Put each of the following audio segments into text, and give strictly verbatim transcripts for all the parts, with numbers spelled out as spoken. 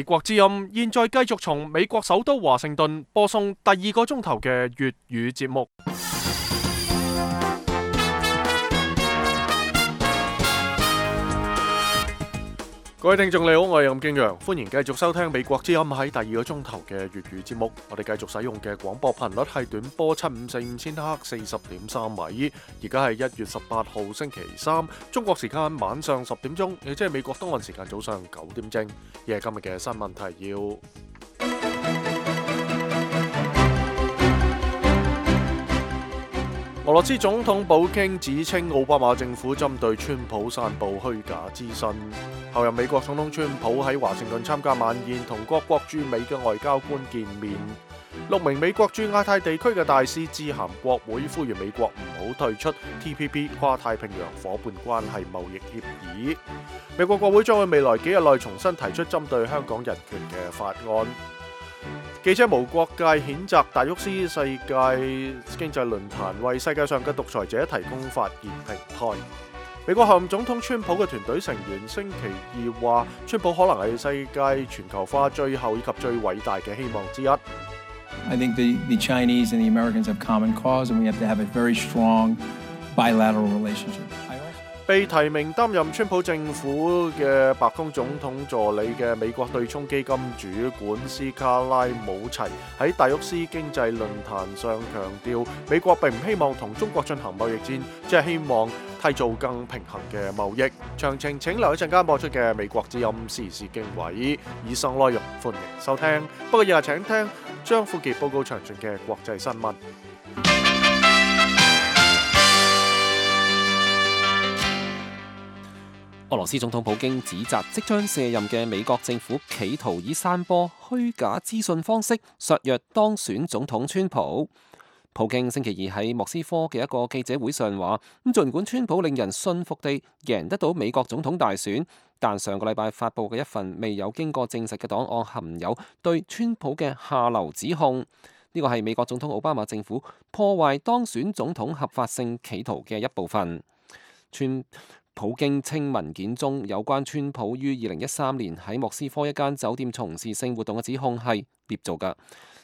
美國之音現在繼續從美國首都華盛頓播送第二個鐘頭嘅粵語節目。各位聽眾你好，我係任敬陽，歡迎繼續收聽美國之音喺第二個鐘頭嘅粵語節目。我哋繼續使用嘅廣播頻率係短波七五四五千赫四十點三米。而家係一月十八號星期三，中國時間晚上十點鐘，亦即係美國東岸時間早上九點正。亦係今日嘅新聞提要。俄羅斯總統普京指稱奧巴馬政府針對川普散布虛假資訊。後任美國總統川普喺華盛頓參加晚宴，同各國駐美嘅外交官見面。六名美國駐亞太地區嘅大使致函國會，呼籲美國唔好退出 T P P 跨太平洋夥伴關係貿易協議。美國國會將喺未來幾日內重新提出針對香港人權嘅法案。記者無國界譴責達沃斯世界經濟論壇為世界上嘅獨裁者提供發言平台。美國候任總統川普嘅團隊成員星期二話，川普可能係世界全球化最後以及最偉大嘅希望之一。I think the, the Chinese and the Americans have common cause, and we have to have a very strong bilateral relationship. 被提名擔任川普政府嘅白宮總統助理嘅美國對沖基金主管斯卡拉姆齊喺達沃斯經濟論壇上強調，美國並唔希望同中國進行貿易戰，只係希望締造更平衡嘅貿易。詳情請留一陣間播出嘅美國之音時事經緯。以上內容歡迎收聽。不過日日請聽張富傑報告詳盡嘅國際新聞。俄羅斯總統普京指責即將卸任嘅美國政府企圖以散播虛假資訊方式削弱當選總統川普。普京星期二喺莫斯科嘅一個記者會上話，咁儘管川普令人信服地贏得到美國總統大選，但上個禮拜發布嘅一份未有經過證實嘅檔案含有對川普嘅下流指控。呢個係美國總統奧巴馬政府破壞當選總統合法性企圖嘅一部分。川普京稱文件中有關川普於二零一三年喺莫斯科一間酒店從事性活動嘅指控係捏造㗎。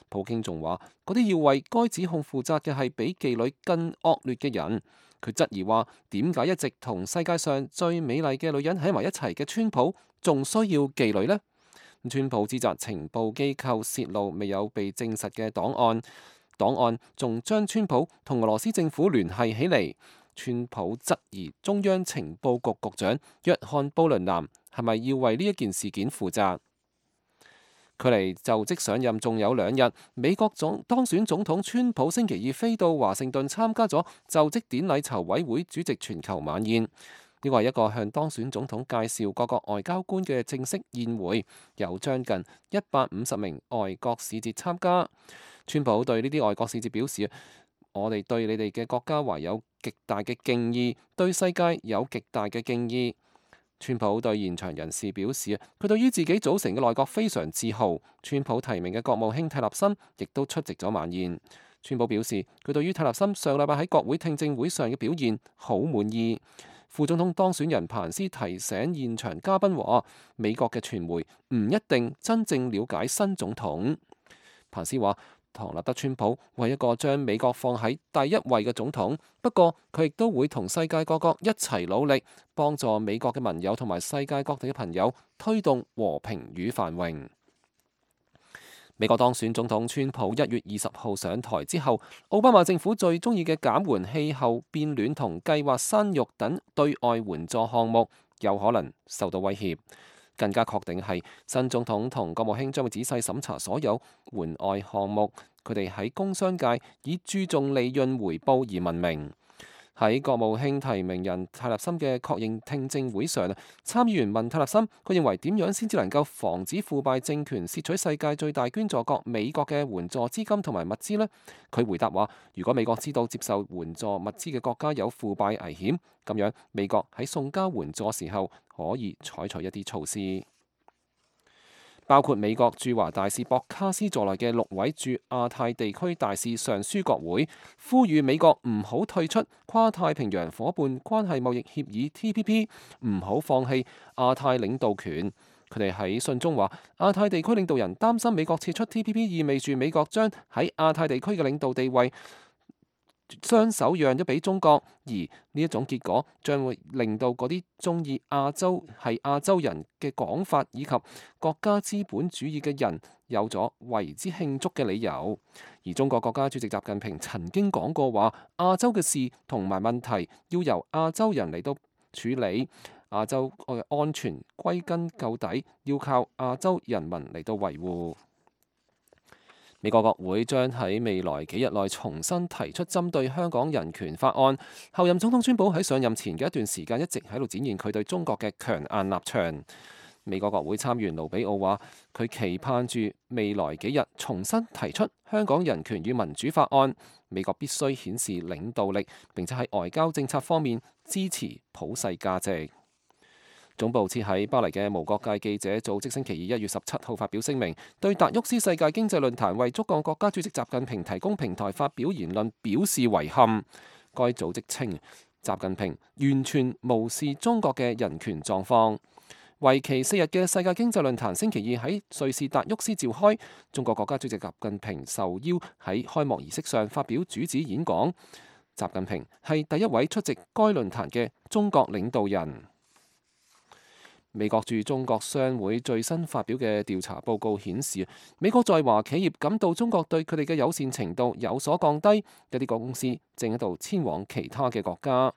普京仲話，嗰啲要為該指控負責嘅係比妓女更惡劣嘅人。佢質疑話，點解一直同世界上最美麗嘅女人喺埋一齊嘅川普仲需要妓女呢？川普指責情報機構洩露未有被證實嘅檔案，檔案仲將川普同俄羅斯政府聯繫起嚟。川普質疑中央情報局局長約翰布倫南係咪要為呢一件事件負責？距離就職上任仲有兩日，美國總當選總統川普星期二飛到華盛頓參加咗就職典禮籌委會主席全球晚宴。呢個係一個向當選總統介紹各國外交官嘅正式宴會，有將近一百五十名外國使節參加。川普對呢啲外國使節表示，我哋對你哋嘅國家懷有極大嘅敬意，對世界有極大嘅敬意。川普對現場人士表示，佢對於自己組成嘅內閣非常自豪。川普提名嘅國務卿泰勒森亦都出席咗晚宴。川普表示，佢對於泰勒森上禮拜喺國會聽證會上嘅表現好滿意。副總統當選人彭斯提醒現場嘉賓話，美國嘅傳媒唔一定真正了解新總統。彭斯話，唐納德川普為一個將美國放喺第一位嘅總統，不過佢亦都會同世界各國一齊努力，幫助美國嘅盟友同埋世界各地嘅朋友推動和平與繁榮。美國當選總統川普一月二十號上台之後，奧巴馬政府最中意嘅減緩氣候變暖同計劃生育等對外援助項目有可能受到威脅。更加確定係新總統同國務卿將會仔細審查所有援外項目，佢哋喺工商界以注重利潤回報而聞名。喺國務卿提名人泰勒森嘅確認聽證會上，參議員問泰勒森，佢認為點樣先至能夠防止腐敗政權竊取世界最大捐助國美國嘅援助資金同埋物資呢？佢回答話，如果美國知道接受援助物資嘅國家有腐敗危險，咁樣美國喺送交援助時候可以採取一啲措施。包括美國駐華大使博卡斯在內嘅六位駐亞太地區大使上書國會，呼籲美國唔好退出跨太平洋夥伴關係貿易協議 T P P， 唔好放棄亞太領導權。佢哋喺信中話，亞太地區領導人擔心美國撤出 T P P 意味住美國將喺亞太地區嘅領導地位雙手讓咗俾中國，而呢一種結果將會令到嗰啲中意亞洲係亞洲人嘅講法以及國家資本主義嘅人有咗為之慶祝嘅理由。而中國國家主席習近平曾經講過話，亞洲嘅事同埋問題要由亞洲人嚟到處理，亞洲嘅安全歸根究底要靠亞洲人民嚟到維護。美國國會將喺未來幾日內重新提出針對香港人權法案。後任總統川普喺上任前嘅一段時間一直喺度展現佢對中國嘅強硬立場。美國國會參議員盧比奧話，佢期盼住未來幾日重新提出香港人權與民主法案。美國必須顯示領導力，並且喺外交政策方面支持普世價值。總部設喺巴黎嘅無國界記者組織星期二一月十七號發表聲明，對達沃斯世界經濟論壇為中國國家主席習近平提供平台發表言論表示遺憾。該組織稱，習近平完全無視中國嘅人權狀況。為期四日嘅世界經濟論壇星期二喺瑞士達沃斯召開，中國國家主席習近平受邀喺開幕儀式上發表主旨演講。習近平係第一位出席該論壇嘅中國領導人。美國駐中國商會最新發表嘅調查報告顯示，美國在華企業感到中國對佢哋嘅友善程度有所降低，一啲公司正喺度遷往其他嘅國家。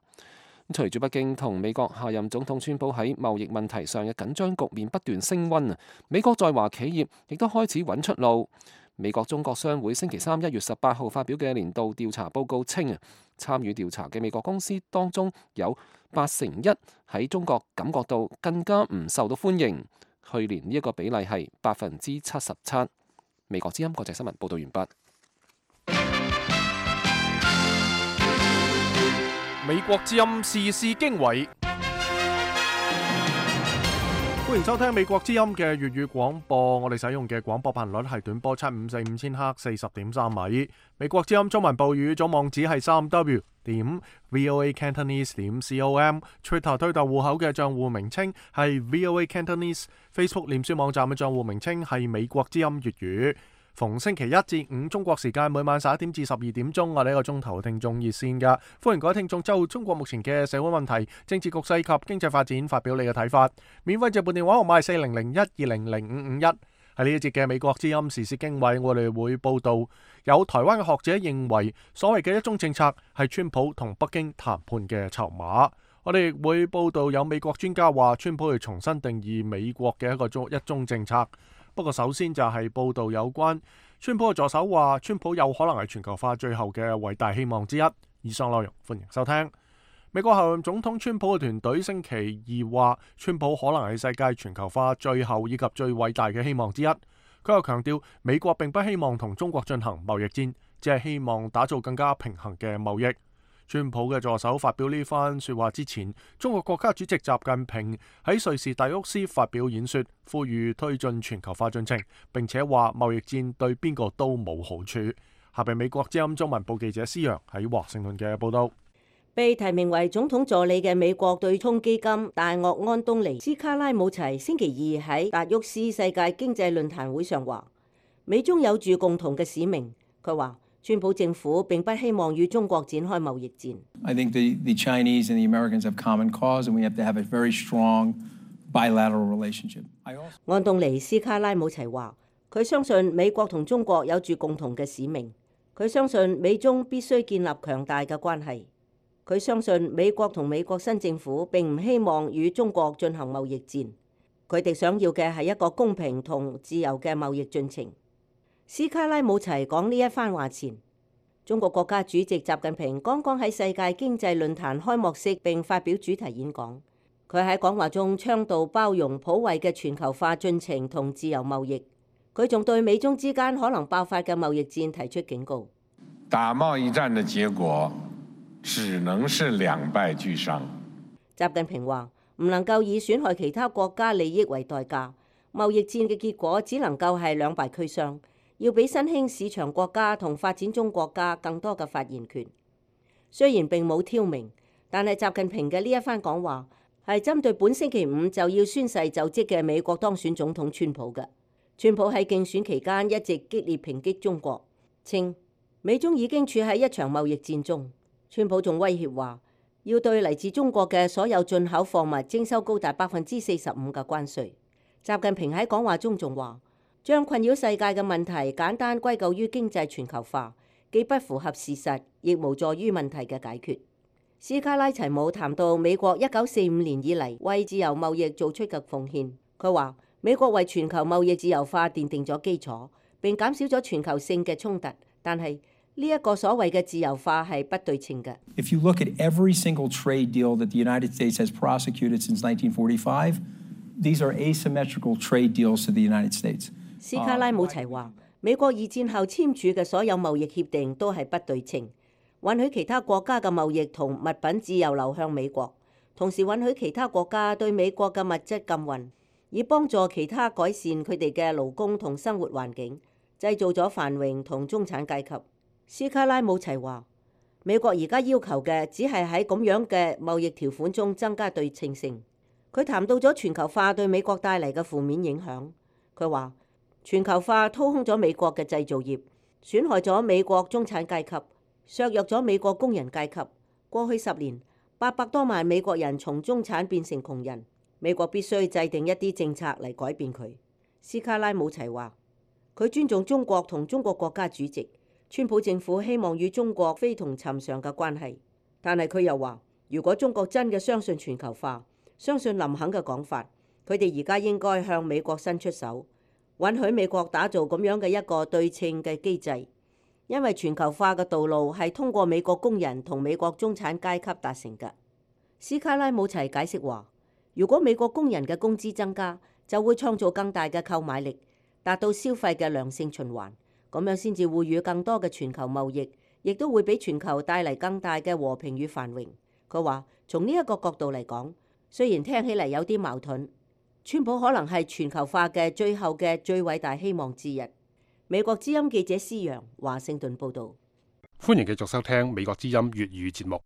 隨住北京同美國下任總統川普喺貿易問題上嘅緊張局面不斷升溫，美國在華企業亦都開始揾出路。美國中國商會星期三一月十八號發表嘅年度調查報告稱，參與調查嘅美國公司當中有八成一喺中國感覺到更加唔受到歡迎。去年呢一個比例係百分之七十七。美國之音國際新聞報道完畢。美國之音時事經緯，歡迎收聽美國之音嘅粵語廣播。我哋使用嘅廣播頻率係短波七五四五千赫四十點三米。美國之音中文部語總網址係三 w 點 voa cantonese 點 com。Twitter 推特戶口嘅賬戶名稱係 voa cantonese。Facebook 臉書網站嘅賬戶名稱係美國之音粵語。逢星期一至五中國時間每晚十一點至十二點鐘，我哋一個鐘頭聽眾熱線噶，歡迎各位聽眾就中國目前嘅社會問題、政治局勢及經濟發展發表你嘅睇法。免費直撥電話號碼係四零零一二零零五五一。喺呢一節嘅美國之音時事經緯，我哋會報道有台灣嘅學者認為，所謂嘅一中政策係川普同北京談判嘅籌碼。我哋亦會報道有美國專家話，川普要重新定義美國嘅一個中一中政策。不過首先就係報道有關川普嘅助手話，川普有可能係全球化最後嘅偉大希望之一。以上內容歡迎收聽。美國後任總統川普嘅團隊星期二話，川普可能係世界全球化最後以及最偉大嘅希望之一。佢又強調，美國並不希望同中國進行貿易戰，只係希望打造更加平衡嘅貿易。川普嘅助手發表呢番說話之前，中國國家主席習近平喺瑞士達沃斯發表演說，呼籲推進全球化進程，並且話貿易戰對邊個都冇好處。下邊美國之音中文部記者施洋喺華盛頓嘅報道。被提名為總統助理嘅美國對沖基金大鱷安東尼斯卡拉姆齊星期二喺達沃斯世界經濟論壇會上話，美中有住共同嘅使命。佢話，川普政府並不希望與中國展開貿易戰。I think the, the Chinese and the Americans have common cause, and we have to have a very strong bilateral relationship. 安東尼斯卡拉姆齊話，佢相信美國同中國有住共同嘅使命。佢相信美中必須建立強大嘅關係。佢相信美國同美國新政府並唔希望與中國進行貿易戰。佢哋想要嘅係一個公平同自由嘅貿易進程。斯卡拉姆齊講呢一番話前，中國國家主席習近平剛剛喺世界經濟論壇開幕式並發表主題演講。佢喺講話中倡導包容普惠嘅全球化進程同自由貿易。佢仲對美中之間可能爆發嘅貿易戰提出警告。打貿易戰嘅結果只能是兩敗俱傷。習近平話唔能夠以損害其他國家利益為代價，貿易戰嘅結果只能夠係兩敗俱傷。要俾新興市場國家同發展中國家更多嘅發言權。雖然並冇挑明，但係習近平嘅呢一番講話係針對本星期五就要宣誓就職嘅美國當選總統川普嘅。川普喺競選期間一直激烈抨擊中國，稱美中已經處喺一場貿易戰中。川普仲威脅話要對嚟自中國嘅所有進口貨物徵收高達百分之四十五嘅關稅。習近平喺講話中仲話，將困擾世界嘅問題簡單歸咎於經濟全球化，既不符合事實，亦無助於問題嘅解決。斯卡拉齊姆談到美國一九四五年以嚟為自由貿易做出嘅奉獻，佢話美國為全球貿易自由化奠定咗基礎，並減少咗全球性嘅衝突，但係呢一個所謂嘅自由化係不對稱嘅。If you look at every single trade deal that the United States has prosecuted since nineteen forty-five, these are asymmetrical trade deals to the United States. 斯卡拉姆齊話，美國二戰後簽署嘅所有貿易協定都係不對稱，允許其他國家嘅貿易同物品自由流向美國，同時允許其他國家對美國嘅物質禁運，以幫助其他改善佢哋嘅勞工同生活環境，製造咗繁榮同中產階級。斯卡拉姆齊話，美國而家要求嘅只係喺咁樣嘅貿易條款中增加對稱性。佢談到咗全球化對美國帶嚟嘅負面影響。佢話全球化掏空咗美國嘅製造業，損害咗美國中產階級，削弱咗美國工人階級。過去十年，八百多萬美國人從中產變成窮人。美國必須制定一啲政策嚟改變佢。斯卡拉姆齊話，佢尊重中國同中國國家主席。川普政府希望與中國非同尋常嘅關係，但係佢又話，如果中國真嘅相信全球化，相信林肯嘅講法，佢哋而家應該向美國伸出手，允許美國打造咁樣嘅一個對稱嘅機制，因為全球化嘅道路係通過美國工人同美國中產階級達成嘅。斯卡拉姆齊解釋話，如果美國工人嘅工資增加，就會創造更大嘅購買力，達到消費嘅良性循環。咁樣先至會與更多嘅全球貿易，亦都會俾全球帶嚟更大嘅和平與繁榮。佢話從呢一個角度嚟講，雖然聽起嚟有啲矛盾，川普可能係全球化嘅最後嘅最偉大希望之一。美國之音記者施陽華盛頓報導。歡迎繼續收聽美國之音粵語節目。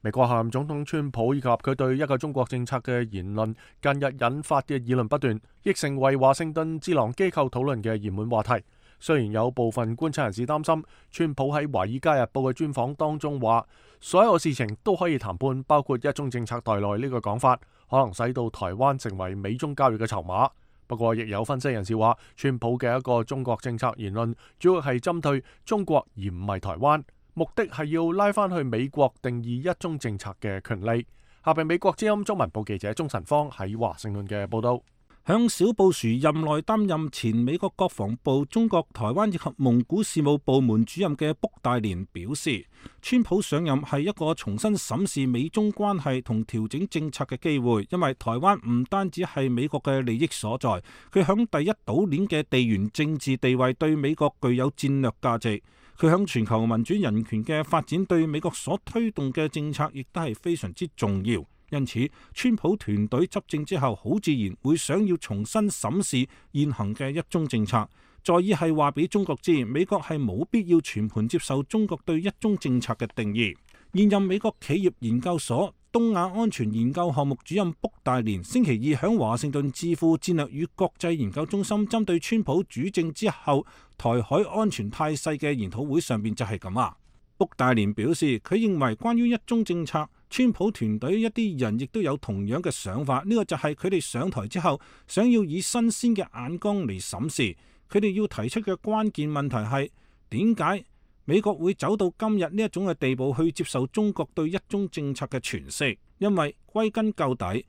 美國下任總統川普以及佢對一個中國政策嘅言論，近日引發嘅議論不斷，亦成為華盛頓智囊機構討論嘅熱門話題。雖然有部分觀察人士擔心，川普喺《華爾街日報》嘅專訪當中話，所有事情都可以談判，包括一中政策在內呢個講法，可能使到台灣成為美中交易嘅籌碼。不過，亦有分析人士話，川普嘅一個中國政策言論，主要係針對中國而唔係台灣。目的係要拉翻去美國定義一中政策嘅權利。下邊美國之音中文部記者鍾晨芳喺華盛頓嘅報道。響小布殊任內擔任前美國國防部中國台灣以及蒙古事務部門主任嘅卜戴連表示，川普上任係一個重新審視美中關係同調整政策嘅機會，因為台灣唔單止係美國嘅利益所在，佢響第一島鏈嘅地緣政治地位對美國具有戰略價值。佢響全球民主人權嘅發展對美國所推動嘅政策亦都係非常之重要，因此川普團隊執政之後，好自然會想要重新審視現行嘅一中政策，在意係話俾中國知，美國係冇必要全盤接受中國對一中政策嘅定義。現任美國企業研究所東亞安全研究項目主任卜戴連星期二響華盛頓智庫戰略與國際研究中心針對川普主政之後台海安全態勢嘅研討會上面就係咁話。卜戴連表示，佢認為關於一中政策，川普團隊一啲人亦都有同樣嘅想法，呢個就係佢哋上台之後想要以新鮮嘅眼光嚟審視。佢哋要提出嘅關鍵問題係點解美國會走到今日呢一種嘅地步去接受中國對一中政策嘅詮釋？因為歸根究底，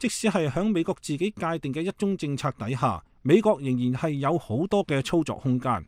即使係響美國自己界定嘅一中政策底下，美國仍然係有好多嘅操作空間。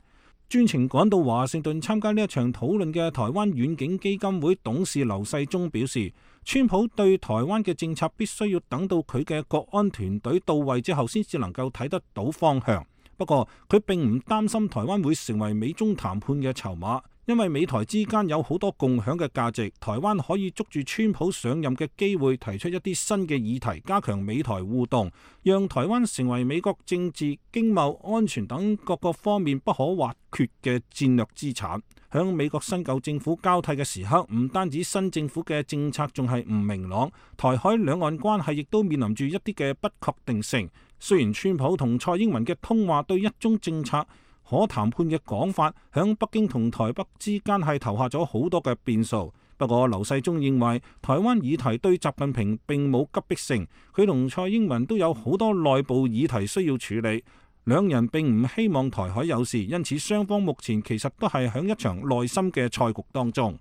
專程趕到華盛頓參加呢一場討論嘅台灣遠景基金會董事劉世忠表示，川普對台灣嘅政策必須要等到佢嘅國安團隊到位之後先至能夠睇得到方向。不過佢並唔擔心台灣會成為美中談判嘅籌碼，因為美台之間有好多共享嘅價值，台灣可以捉住川普上任嘅機會，提出一啲新嘅議題，加強美台互動，讓台灣成為美國政治、經貿、安全等各個方面不可或缺嘅戰略資產。響美國新舊政府交替嘅時刻，唔單止新政府嘅政策仲係唔明朗，台海兩岸關係亦都面臨住一啲嘅不確定性。雖然川普同蔡英文嘅通話對一中政策可談判嘅講法，響北京同台北之間係投下咗好多嘅變數。不過劉世忠認為台灣議題對習近平並冇急迫性，佢同蔡英文都有好多內部議題需要處理，兩人並唔希望台海有事，因此雙方目前其實都係響一場內心嘅賽局當中。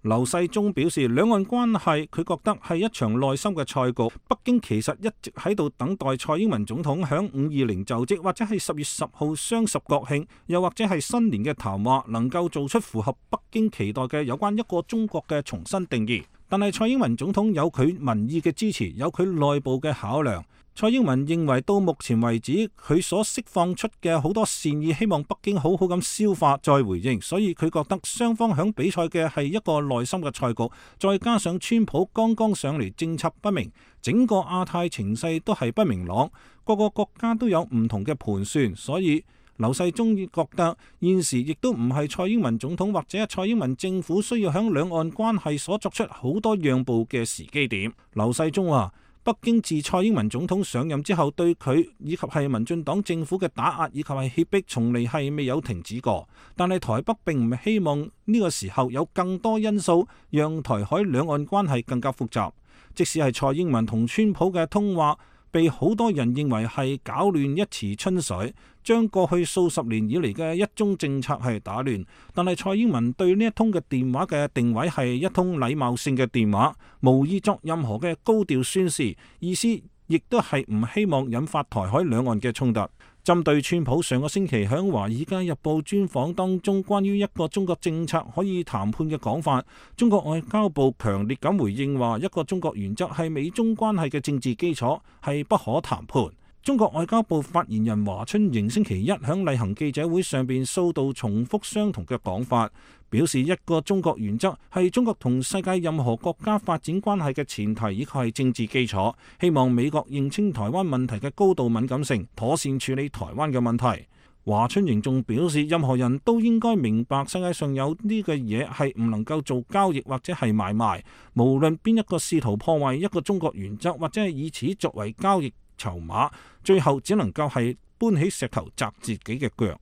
劉世忠表示，兩岸關係佢覺得係一場內心嘅賽局，北京其實一直喺度等待蔡英文總統響五二零就職，或者係十月十號雙十國慶，又或者係新年嘅談話，能夠做出符合北京期待嘅有關一個中國嘅重新定義。但係蔡英文總統有佢民意嘅支持，有佢內部嘅考量。蔡英文認為到目前為止，佢所釋放出嘅好多善意，希望北京好好咁消化再回應，所以佢覺得雙方響比賽嘅係一個內心嘅賽局，再加上川普剛剛上嚟，政策不明，整個亞太情勢都係不明朗，各個國家都有唔同嘅盤算，所以劉世忠覺得現時亦都唔係蔡英文總統或者蔡英文政府需要響兩岸關係所作出好多讓步嘅時機點。劉世忠話，北京自蔡英文總統上任之後，對佢以及係民進黨政府嘅打壓以及係脅迫，從嚟係未有停止過。但係台北並唔希望呢個時候有更多因素讓台海兩岸關係更加複雜。即使係蔡英文同川普嘅通話，被好多人認為係攪亂一池春水，將過去數十年以嚟嘅一中政策係打亂。但係蔡英文對呢一通嘅電話嘅定位係一通禮貌性嘅電話，無意作任何嘅高調宣示，意思亦都係唔希望引發台海兩岸嘅衝突。針對川普上個星期喺《華爾街日報》專訪當中關於一個中國政策可以談判嘅講法，中國外交部強烈咁回應話，一個中國原則係美中關係嘅政治基礎，係不可談判。中國外交部發言人華春瑩星期一喺例行記者會上邊數度重複相同嘅講法，表示一個中國原則係中國同世界任何國家發展關係嘅前提，以及係政治基礎。希望美國認清台灣問題嘅高度敏感性，妥善處理台灣嘅問題。華春瑩仲表示，任何人都應該明白世界上有呢個嘢係唔能夠做交易或者係買賣，無論邊一個試圖破壞一個中國原則或者係以此作為交易籌碼，最後只能夠係搬起石頭砸自己嘅腳。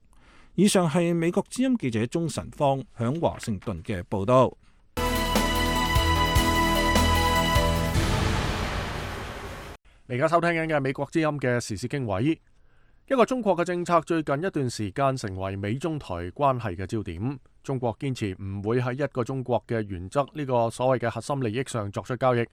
以上係美國之音記者鍾晨芳響華盛頓嘅報道。你而家收聽緊嘅係美國之音嘅時事經緯。一個中國嘅政策最近一段時間成為美中台關係嘅焦點。中國堅持唔會喺一個中國嘅原則呢個所謂嘅核心利益上作出交易。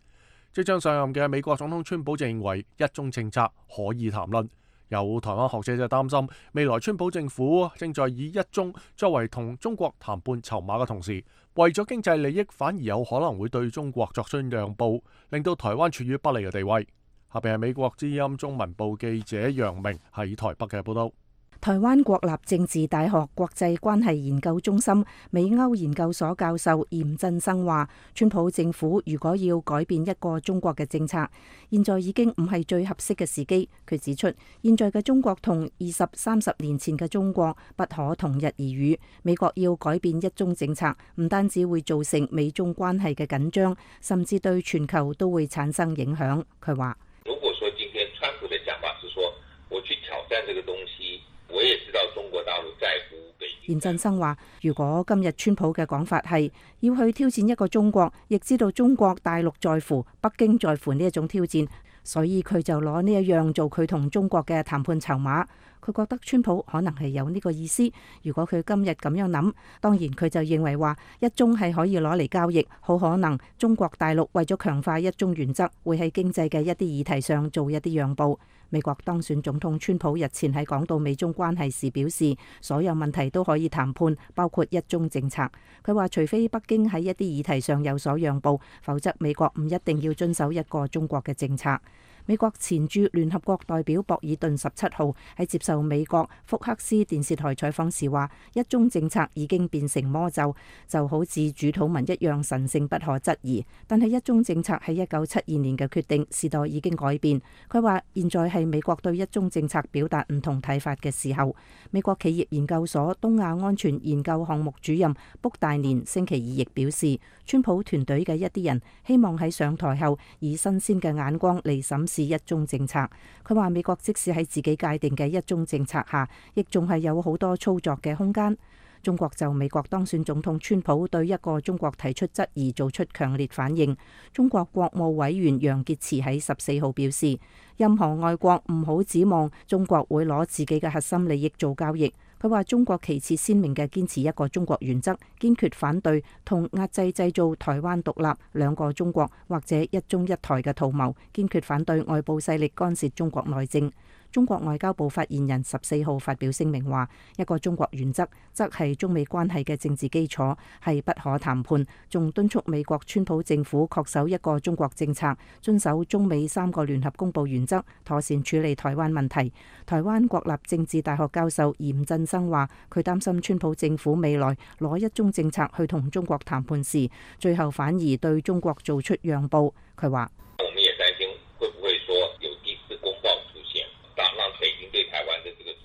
即將上任嘅美國總統川普就認為一中政策可以談論。有台灣學者就擔心，未來川普政府正在以一中作為同中國談判籌碼嘅同時，為咗經濟利益，反而有可能會對中國作出讓步，令到台灣處於不利嘅地位。下邊係美國之音中文部記者楊明喺台北嘅報道。台灣國立政治大學國際關係研究中心美歐研究所教授嚴振生話，川普政府如果要改變一個中國嘅政策，現在已經唔係最合適嘅時機。佢指出，現在嘅中國同二十三十年前嘅中國不可同日而語。美國要改變一中政策，唔單止會造成美中關係嘅緊張，甚至對全球都會產生影響。佢話：如果說今天川普的講法是說，我去挑戰這個東西。我也知道中國大陸在乎北京。嚴振生話，如果今日川普嘅講法係要去挑戰一個中國，亦知道中國大陸在乎、北京在乎呢一種挑戰，所以佢就攞呢一樣做佢同中國嘅談判籌碼。佢覺得川普可能係有呢個意思。如果佢今日咁樣諗，當然佢就認為話一中係可以攞嚟交易，好可能中國大陸為咗強化一中原則，會喺經濟嘅一啲議題上做一啲讓步。美國當選總統川普日前喺講到美中關係時表示，所有問題都可以談判，包括一中政策。佢話除非北京喺一啲議題上有所讓步，否則美國唔一定要遵守一個中國嘅政策。美國前駐聯合國代表博爾頓十七號喺接受美國福克斯電視台採訪時話：一中政策已經變成魔咒，就好似主禱文一樣神聖不可質疑。但係一中政策喺一九七二年嘅決定，時代已經改變。佢話現在係美國對一中政策表達唔同睇法嘅時候。美國企業研究所東亞安全研究項目主任卜大年星期二亦表示，川普團隊嘅一啲人希望喺上台後以新鮮嘅眼光嚟審視一中政策。佢話美國即使喺自己界定嘅一中政策下，亦仲係有好多操作嘅空間。中國就美國當選總統川普對一個中國提出質疑做出強烈反應。中國國務委員楊潔篪喺十四號表示，任何外國唔好指望中國會攞自己嘅核心利益做交易。佢話中國旗幟鮮明嘅堅持一個中國原則，堅決反對同壓制製造台灣獨立、兩個中國或者一中一台嘅圖謀，堅決反對外部勢力干涉中國內政。中國外交部發言人十四號發表聲明話，一個中國原則則係中美關係嘅政治基礎，係不可談判，仲敦促美國川普政府恪守一個中國政策，遵守中美三個聯合公佈原則，妥善處理台灣問題。台灣國立政治大學教授嚴振生話，佢擔心川普政府未來攞一中政策去同中國談判時，最後反而對中國做出讓步。佢話：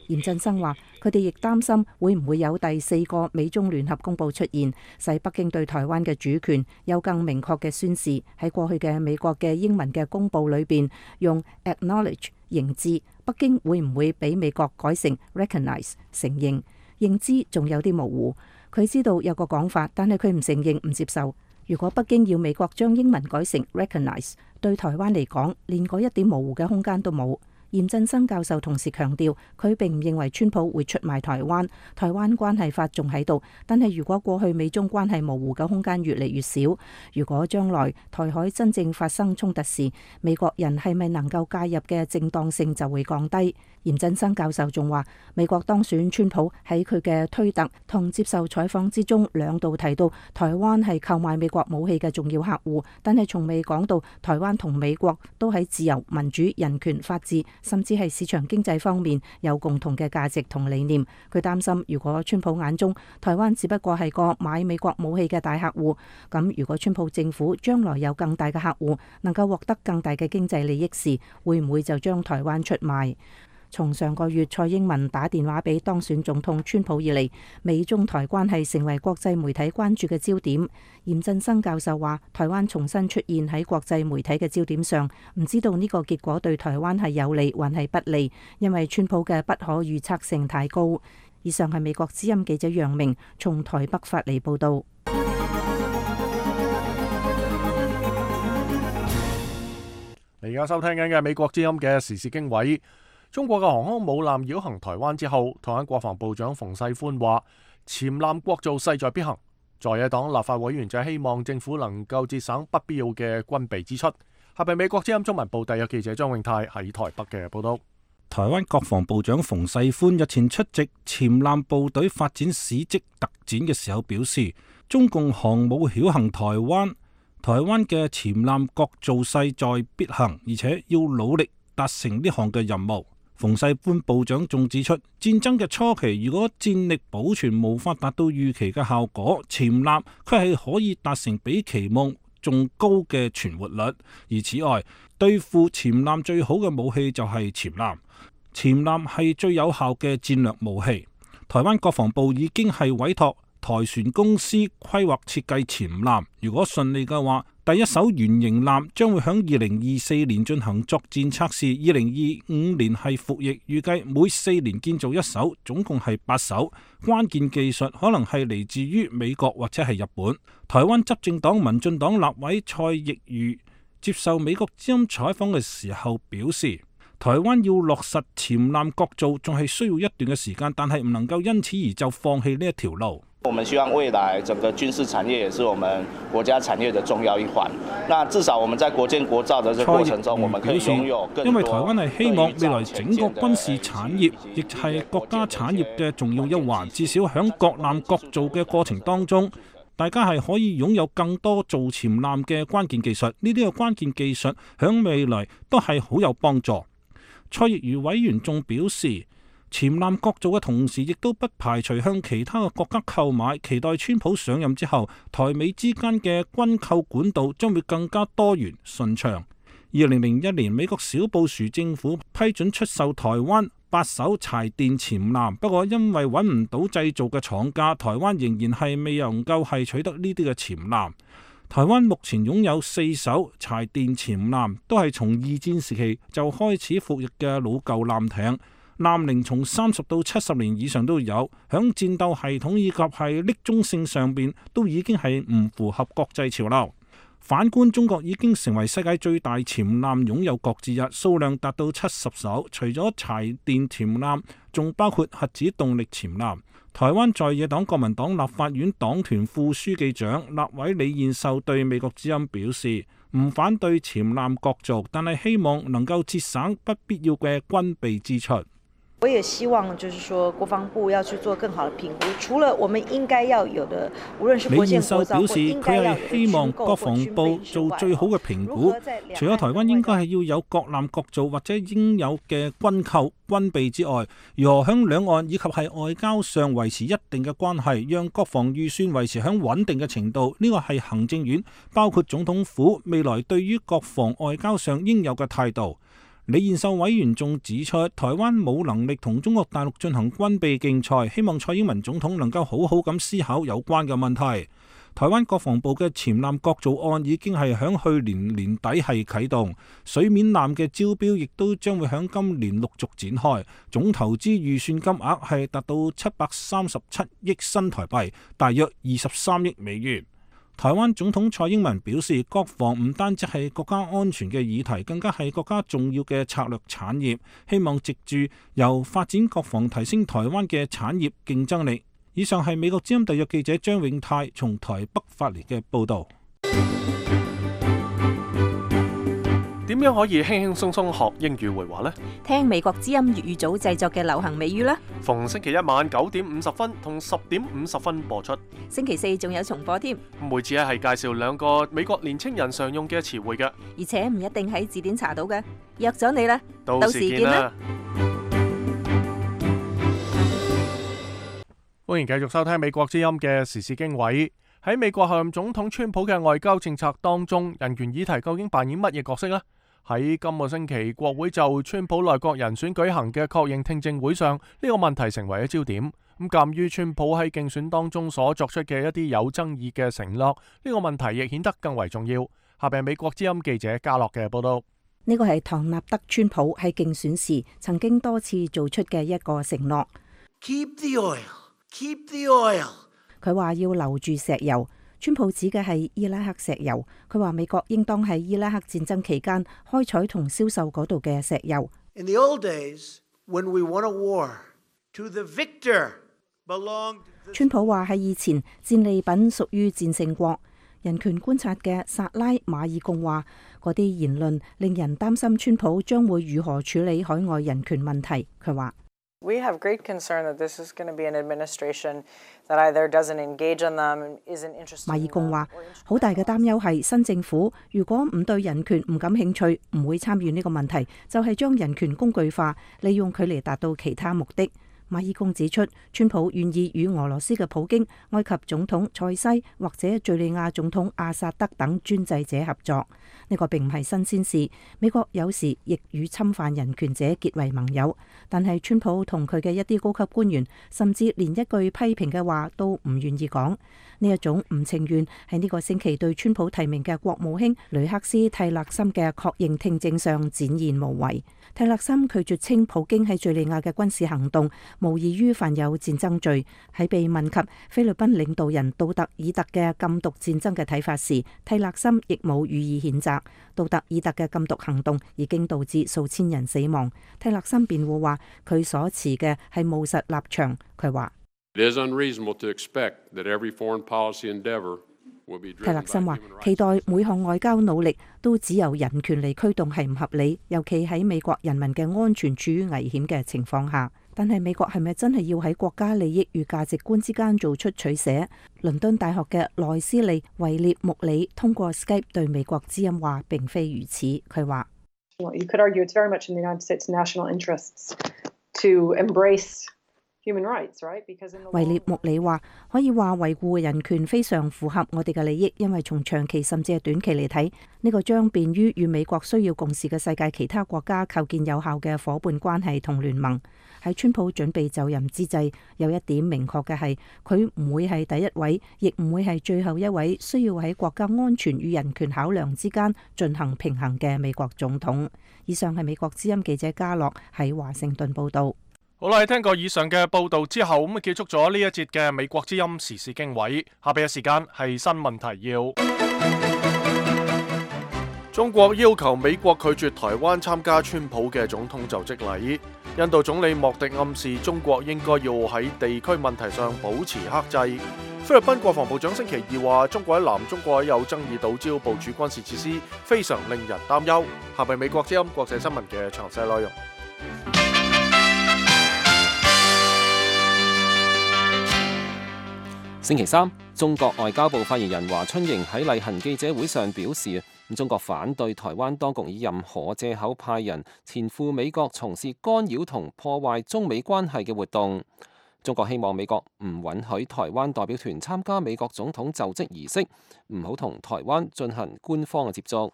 嚴振生話：佢哋亦擔心會唔會有第四個美中聯合公佈出現，使北京對台灣嘅主權有更明確嘅宣示。喺過去嘅美國嘅英文嘅公佈裏邊，用 acknowledge 認知，北京會唔會俾美國改成 recognize 承認？認知仲有啲模糊。佢知道有個講法，但係佢唔承認、唔接受。如果北京要美國將英文改成 recognize，對台灣嚟講，連嗰一點模糊嘅空間都冇。嚴振生教授同時強調，佢並唔認為川普會出賣台灣，台灣關係法仲喺度。但係如果過去美中關係模糊嘅空間越嚟越少，如果將來台海真正發生衝突時，美國人係咪能夠介入嘅正當性就會降低。嚴振生教授仲話，美國當選川普喺佢嘅推特同接受採訪之中，兩度提到台灣係購買美國武器嘅重要客戶，但係從未講到台灣同美國都喺自由、民主、人權、法治，甚至係市場經濟方面有共同嘅價值同理念。佢擔心，如果川普眼中台灣只不過係個買美國武器嘅大客戶，咁如果川普政府將來有更大嘅客戶，能夠獲得更大嘅經濟利益時，會唔會就將台灣出賣？從上個月蔡英文打電話俾當選總統川普以嚟，美中台關係成為國際媒體關注嘅焦點。嚴振生教授話，台灣重新出現喺國際媒體嘅焦點上，唔知道呢個結果對台灣係有利還係不利，因為川普嘅不可預測性太高。以上係美國之音記者楊明從台北發嚟報道。你而家收聽緊嘅美國之音嘅時事經緯。中國嘅航空母艦繞行台灣之後，台灣國防部長馮世寬話：潛艦國造勢在必行。在野黨立法委員就希望政府能夠節省不必要嘅軍備支出。下邊美國之音中文部特約記者張永泰喺台北嘅報道。台灣國防部長馮世寬日前出席潛艦部隊發展史蹟特展嘅時候表示，中共航母繞行台灣，台灣嘅潛艦國造勢在必行，而且要努力達成呢項嘅任務。馮世寬部長仲指出，戰爭嘅初期，如果戰力保存無法達到預期嘅效果，潛艦佢係可以達成比期望仲高嘅存活率。而此外，對付潛艦最好嘅武器就係潛艦，潛艦係最有效嘅戰略武器。台灣國防部已經係委託台船公司規劃設計潛艦，如果順利嘅話，第一艘原型艦將會喺二零二四年進行作戰測試，二零二五年係服役，預計每四年建造一艘，總共係八艘。關鍵技術可能係嚟自於美國或者係日本。台灣執政黨民進黨立委蔡奕瑜接受美國之音採訪嘅時候表示，台灣要落實潛艦國造仲係需要一段嘅時間，但係唔能夠因此而就放棄呢一條路。我們希望未來整個軍事產業也是我們國家產業的重要一環。那至少我們在國建國造的這個過程中，我們可以擁有更多。因為台灣係希望未來整個軍事產業亦係國家產業嘅重要一環，至少響國艦國造嘅過程當中，大家係可以擁有更多造潛艦嘅關鍵技術，呢啲嘅關鍵技術響未來都係好有幫助。蔡亦如委員仲表示，潛艦國造嘅同時，亦都不排除向其他嘅國家購買，期待川普上任之後，台美之間嘅軍購管道將會更加多元順暢。二零零一年，美國小布殊政府批准出售台灣八艘柴電潛艦，不過因為揾唔到製造嘅廠家，台灣仍然係未能夠係取得呢啲嘅潛艦。台灣目前擁有四艘柴電潛艦，都係從二戰時期就開始服役嘅老舊艦艇，艦齡從三十到七十年以上都有，響戰鬥系統以及係匿蹤性上邊都已經係唔符合國際潮流。反觀中國已經成為世界最大潛艦擁有國之一，數量達到七十艘。除咗柴電潛艦，仲包括核子動力潛艦。台灣在野黨國民黨立法院黨團副書記長立委李彥秀對美國之音表示，唔反對潛艦國造，但係希望能夠節省不必要嘅軍備支出。我也希望就是說國防部要去做更好的評估，除了我們應該要有的，無論是國建國造或應該要有的軍購或軍備之外，李彥秀表示，佢係希望國防部做最好嘅評估，除咗台灣應該係要有國艦國造或者應有嘅軍購軍備之外，如何響兩岸以及係外交上維持一定嘅關係，讓國防預算維持響穩定嘅程度，呢個係行政院包括總統府未來對於國防外交上應有嘅態度。李彥秀委員仲指出，台灣冇能力同中國大陸進行軍備競賽，希望蔡英文總統能夠好好咁思考有關嘅問題。台灣國防部嘅潛艦國造案已經係響去年年底係啟動，水面艦嘅招標亦都將會響今年陸續展開，總投資預算金額係達到七百三十七億新台幣，大約二十三億美元。台灣總統蔡英文表示，國防唔單止係國家安全嘅議題，更加係國家重要嘅策略產業，希望藉住由發展國防提升台灣嘅產業競爭力。以上係美國之音特約記者張永泰從台北發嚟嘅報導。點樣可以輕輕鬆鬆學英語會話呢？聽美國之音粵語組製作嘅流行美語啦！逢星期一晚九點五十分同十點五十分播出，星期四仲有重播添。每次咧係介紹兩個美國年青人常用嘅詞彙嘅，而且唔一定喺字典查到嘅。約咗你啦，到時見啦！歡迎繼續收聽美國之音嘅時事經緯。喺美國候任總統川普嘅外交政策當中，人權議題究竟扮演乜嘢角色呢？喺今個星期，國會就川普內閣人選舉行嘅確認聽證會上，呢個問題成為咗焦點。咁鑑於川普喺競選當中所作出嘅一啲有爭議嘅承諾，呢個問題亦顯得更為重要。下邊係美國之音記者嘉樂嘅報道。呢個係唐納德川普喺競選時曾經多次做出嘅一個承諾。Keep the oil, keep the oil。佢話要留住石油。川普指嘅係伊拉克石油，佢話美國應當喺伊拉克戰爭期間開採同銷售嗰度嘅石油。In the old days, when we won a war, to the victor belonged. 川普話喺以前戰利品屬於戰勝國。人權觀察嘅薩拉馬爾貢話，嗰啲言論令人擔心川普將會如何處理海外人權問題。佢話。We have great concern that this is going to be an administration that either doesn't engage on them, isn't interested. 馬爾貢話：好大嘅擔憂係新政府如果唔對人權唔感興趣，唔會參與呢個問題，就係將人權工具化，利用佢嚟達到其他目的。馬爾貢指出，川普願意與俄羅斯嘅普京、埃及總統塞西或者敘利亞總統阿薩德等專制者合作。呢個並唔係新鮮事，美國有時亦與侵犯人權者結為盟友。但係川普同佢嘅一啲高級官員，甚至連一句批評嘅話都唔願意講。呢一種唔情願喺呢個星期對川普提名嘅國務卿雷克斯蒂勒森嘅確認聽證上展現無遺。蒂勒森拒絕稱普京喺敘利亞嘅軍事行動無異於犯有戰爭罪。喺被問及菲律賓領導人杜特爾特嘅禁毒戰爭嘅睇法時，蒂勒森亦冇予以譴責。杜特爾特嘅禁毒行動已經導致數千人死亡。蒂勒森辯護話，佢所持嘅係務實立場。佢話。蒂勒森話：期待每項外交努力都只由人權嚟驅動係唔合理，尤其喺美國人民嘅安全處於危險嘅情況下。但係美國係咪真係要喺國家利益與價值觀之間做出取捨？倫敦大學嘅內斯利維列穆里通過 Skype 對美國之音話並非如此。佢話You could argue it's very much in the United States' national interests to embrace human rights, right? Because in the 維列穆里話可以話維護人權非常符合我哋嘅利益，因為從長期甚至係短期嚟睇，呢個將便於與美國需要共事嘅世界其他國家構建有效嘅夥伴關係同聯盟。喺川普準備就任之際，有一點明確嘅係，佢唔會係第一位，亦唔會係最後一位需要喺國家安全與人權考量之間進行平衡嘅美國總統。以上係美國之音記者嘉樂喺華盛頓報導。好啦，聽過以上嘅報導之後，咁啊結束咗呢一節嘅美國之音時事經緯。下邊嘅時間係新聞提要。中國要求美國拒絕台灣參加川普嘅總統就職禮。印度總理莫迪暗示中國應該要喺地區問題上保持克制。菲律賓國防部長星期二話，中國喺南中國有爭議島礁部署軍事設施，非常令人擔憂。下邊美國之音國際新聞嘅詳細內容。星期三，中國外交部發言人華春瑩喺例行記者會上表示，中國反對台灣當局以任何藉口派人前赴美國從事干擾同破壞中美關係嘅活動。中國希望美國唔允許台灣代表團參加美國總統就職儀式，唔好同台灣進行官方嘅接觸。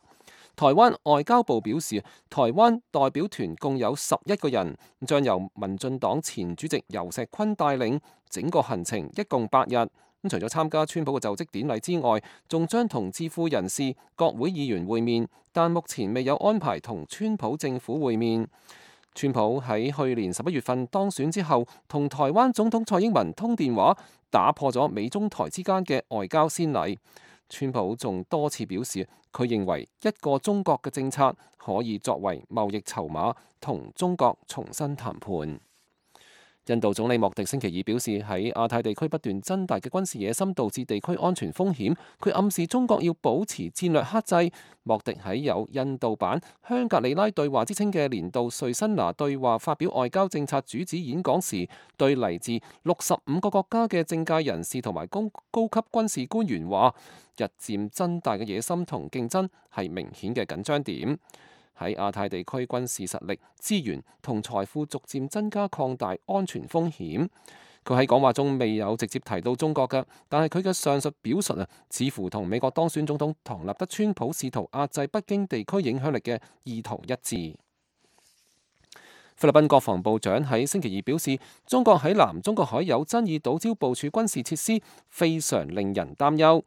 台灣外交部表示，台灣代表團共有十一個人，將由民進黨前主席游錫堃帶領，整個行程一共八日。咁除咗參加川普嘅就職典禮之外，仲將同智庫人士、國會議員會面，但目前未有安排同川普政府會面。川普喺去年十一月份當選之後，同台灣總統蔡英文通電話，打破咗美中台之間嘅外交先例。川普仲多次表示，佢認為一個中國嘅政策可以作為貿易籌碼，同中國重新談判。印度總理莫迪星期二表示，喺亞太地區不斷增大嘅軍事野心導致地區安全風險，佢暗示中國要保持戰略克制。莫迪喺有印度版香格里拉對話之稱嘅年度瑞辛拿對話發表外交政策主旨演講時，對嚟自六十五個國家嘅政界人士同埋高高級軍事官員話，日漸增大嘅野心同競爭係明顯嘅緊張點。喺亞太地區軍事實力、資源同財富逐漸增加，擴大安全風險。佢喺講話中未有直接提到中國嘅，但係佢嘅上述表述啊，似乎同美國當選總統唐納德川普試圖壓制北京地區影響力嘅意圖一致。菲律賓國防部長喺星期二表示，中國喺南中國海有爭議島礁部署軍事設施，非常令人擔憂。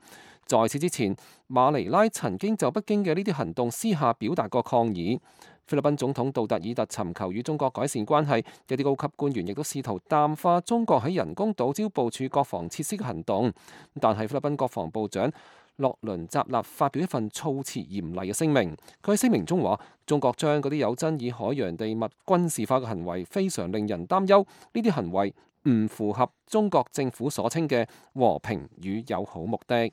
在此之前，馬尼拉曾經就北京嘅呢啲行動私下表達過抗議。菲律賓總統杜特爾特尋求與中國改善關係，一啲高級官員亦都試圖淡化中國喺人工島礁部署國防設施嘅行動。但係菲律賓國防部長洛倫扎納發表一份措辭嚴厲嘅聲明，佢喺聲明中話：中國將嗰啲有爭議海洋地物軍事化嘅行為非常令人擔憂，呢啲行為唔符合中國政府所稱嘅和平與友好目的。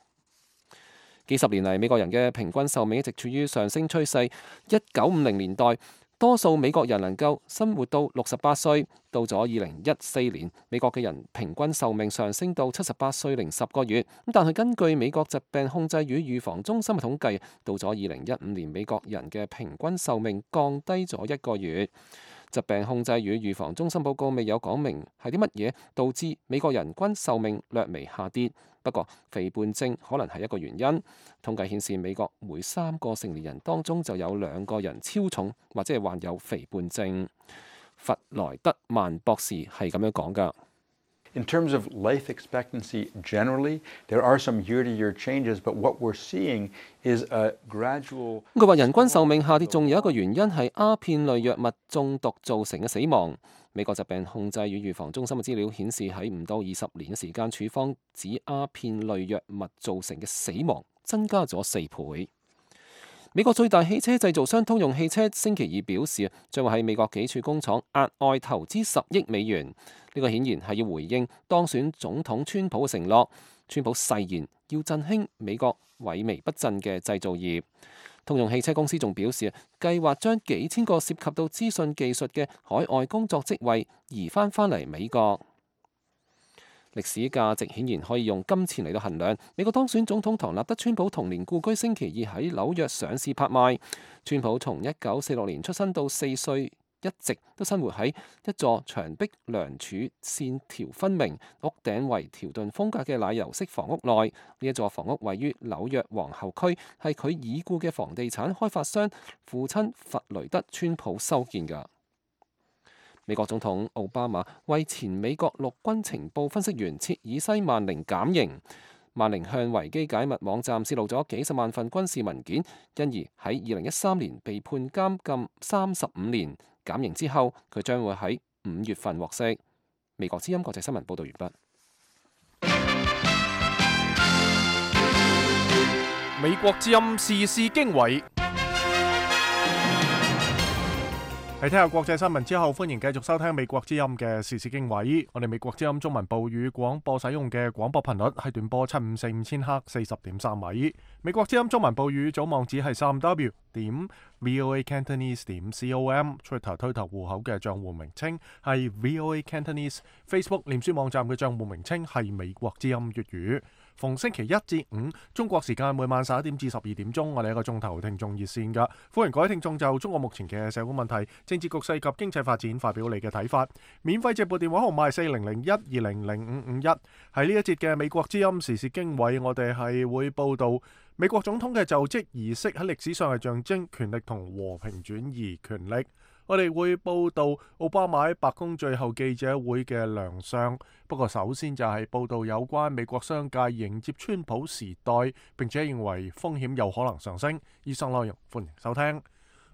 幾十年嚟，美國人嘅平均壽命一直處於上升趨勢。一九五零年代，多數美國人能夠生活到六十八歲。到咗二零一四年，美國嘅人平均壽命上升到七十八歲零十個月。但係根據美國疾病控制與預防中心嘅統計，到咗二零一五年，美國人嘅平均壽命降低咗一個月。疾病控制與預防中心報告未有講明係啲乜嘢導致美國人均壽命略微下跌。不過肥胖症可能係一個原因。統計顯示，美國每三個成年人當中就有兩個人超重或者係患有肥胖症。弗萊德曼博士係咁樣講㗎。In terms of life expectancy generally, there are some year-to-year changes, but what we're seeing is a gradual. 佢話人均壽命下跌，仲有一個原因係鴉片類藥物中毒造成嘅死亡。美國疾病控制與預防中心嘅資料顯示，喺唔到二十年嘅時間，處方指鴉片類藥物造成嘅死亡增加咗四倍。美國最大汽車製造商通用汽車星期二表示，將會喺美國幾處工廠額外投資十億美元。呢個顯然係要回應當選總統川普嘅承諾。川普誓言要振興美國萎靡不振嘅製造業。通用汽車公司仲表示，計劃將幾千個涉及到資訊技術嘅海外工作職位移翻返嚟美國。歷史價值顯然可以用金錢嚟到衡量。美國當選總統唐納德·川普童年故居星期二喺紐約上市拍賣。川普從一九四六年出生到四歲，一直都生活喺一座牆壁梁柱線條分明、屋頂為條頓風格嘅奶油式房屋內。呢一座房屋位於紐約皇后區，係佢已故嘅房地產開發商父親弗雷德·川普修建㗎。美國總統奧巴馬為前美國陸軍情報分析員切爾西曼寧減刑。曼寧向維基解密網站泄露咗幾十萬份軍事文件，因而喺二零一三年被判監禁三十五年。減刑之後，佢將會喺五月份獲釋。美國之音國際新聞報道完畢。美國之音時事經緯。喺聽下國際新聞之後，歡迎繼續收聽美國之音嘅時事經緯。我哋美國之音中文部語廣播使用嘅廣播頻率係短波七五四五千赫四十點三米。美國之音中文部語組網址係三 w 點 voa cantonese 點 com。Twitter 推特戶口嘅賬戶名稱係 voa cantonese。Facebook 臉書網站嘅賬戶名稱係美國之音粵語。逢星期一至五中國時間每晚十一點至十二點鐘，我哋一個鐘頭聽眾熱線㗎，歡迎各位聽眾就中國目前嘅社會問題、政治局勢及經濟發展發表你嘅睇法。免費直播電話號碼係四零零一二零零五五一。喺呢一節嘅美國之音時事經緯，我哋係會報道美國總統嘅就職儀式喺歷史上係象徵權力同和平轉移權力。我哋會報道奧巴馬喺白宮最後記者會嘅亮相。不過首先就係報道有關美國商界迎接川普時代，並且認為風險有可能上升。以上內容歡迎收聽。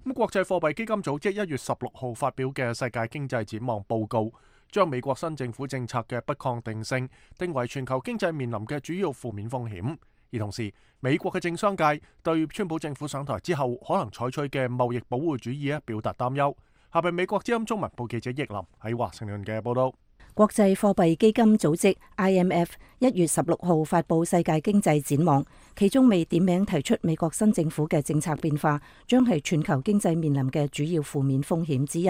咁國際貨幣基金組織一月十六號發表嘅世界經濟展望報告，將美國新政府政策嘅不確定性定為全球經濟面臨嘅主要負面風險。而同時，美國嘅政商界對川普政府上台之後可能採取嘅貿易保護主義咧表達擔憂。下邊美國之音中文部記者葉林喺華盛頓嘅報道。國際貨幣基金組織 I M F 一月十六號發布世界經濟展望，其中未點名提出美國新政府嘅政策變化將係全球經濟面臨嘅主要負面風險之一。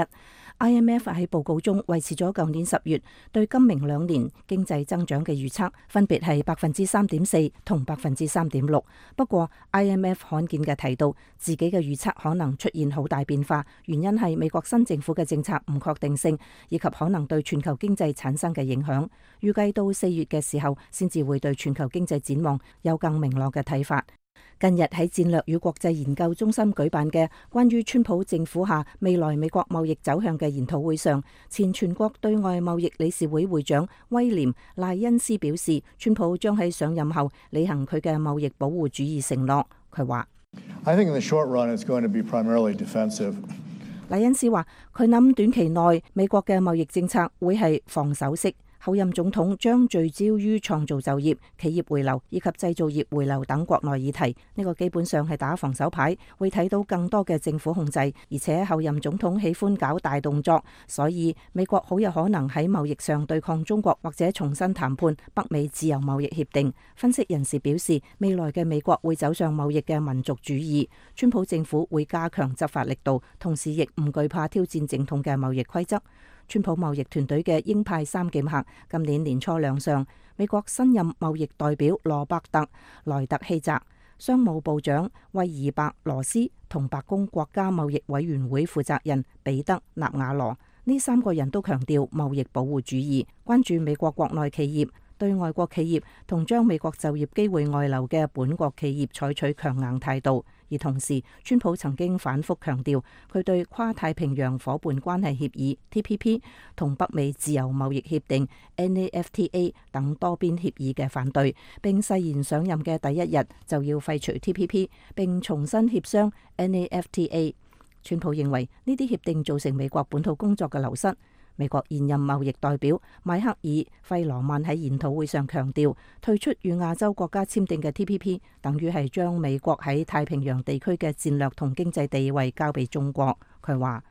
I M F 喺報告中維持咗舊年十月對今明兩年經濟增長嘅預測，分別係百分之三點四同百分之三點六。不過 I M F 罕見嘅提到自己嘅預測可能出現好大變化，原因係美國新政府嘅政策唔確定性，以及可能對全球經濟產生嘅影響。預計到四月嘅時候，先至會對全球經濟展望有更明朗嘅睇法。近日喺戰略與國際研究中心舉辦嘅關於川普政府下未來美國貿易走向嘅研討會上，前全國對外貿易理事會會長威廉賴恩斯表示，川普將喺上任後履行佢嘅貿易保護主義承諾。佢話I think in the short run it's going to be primarily defensive. 賴恩斯話佢諗短期內美國嘅貿易政策會係防守式。後任總統將聚焦於創造就業、企業回流以及製造業回流等國內議題，呢個基本上係打防守牌，會睇到更多嘅政府控制，而且後任總統喜歡搞大動作，所以美國好有可能喺貿易上對抗中國，或者重新談判北美自由貿易協定。分析人士表示，未來嘅美國會走上貿易嘅民族主義，川普政府會加強執法力度，同時亦唔懼怕挑戰正統嘅貿易規則。川普貿易團隊嘅鷹派三劍客今年年初亮相，美國新任貿易代表羅伯特萊特希澤、商務部長威爾伯羅斯同白宮國家貿易委員會負責人彼得納瓦羅，呢三個人都強調貿易保護主義，關注美國國內企業對外國企業同將美國就業機會外流嘅本國企業採取強硬態度。而同時，川普曾經反覆強調佢對跨太平洋夥伴關係協議 T P P 同北美自由貿易協定 N A F T A 等多邊協議嘅反對，並誓言上任嘅第一日就要廢除 T P P 並重新協商 N A F T A。川普認為呢啲協定造成美國本土工作嘅流失。美國現任貿易代表邁克爾費羅曼喺研討會上強調，退出與亞洲國家簽訂嘅 T P P 等於係將美國喺太平洋地區嘅戰略同經濟地位交俾中國。佢話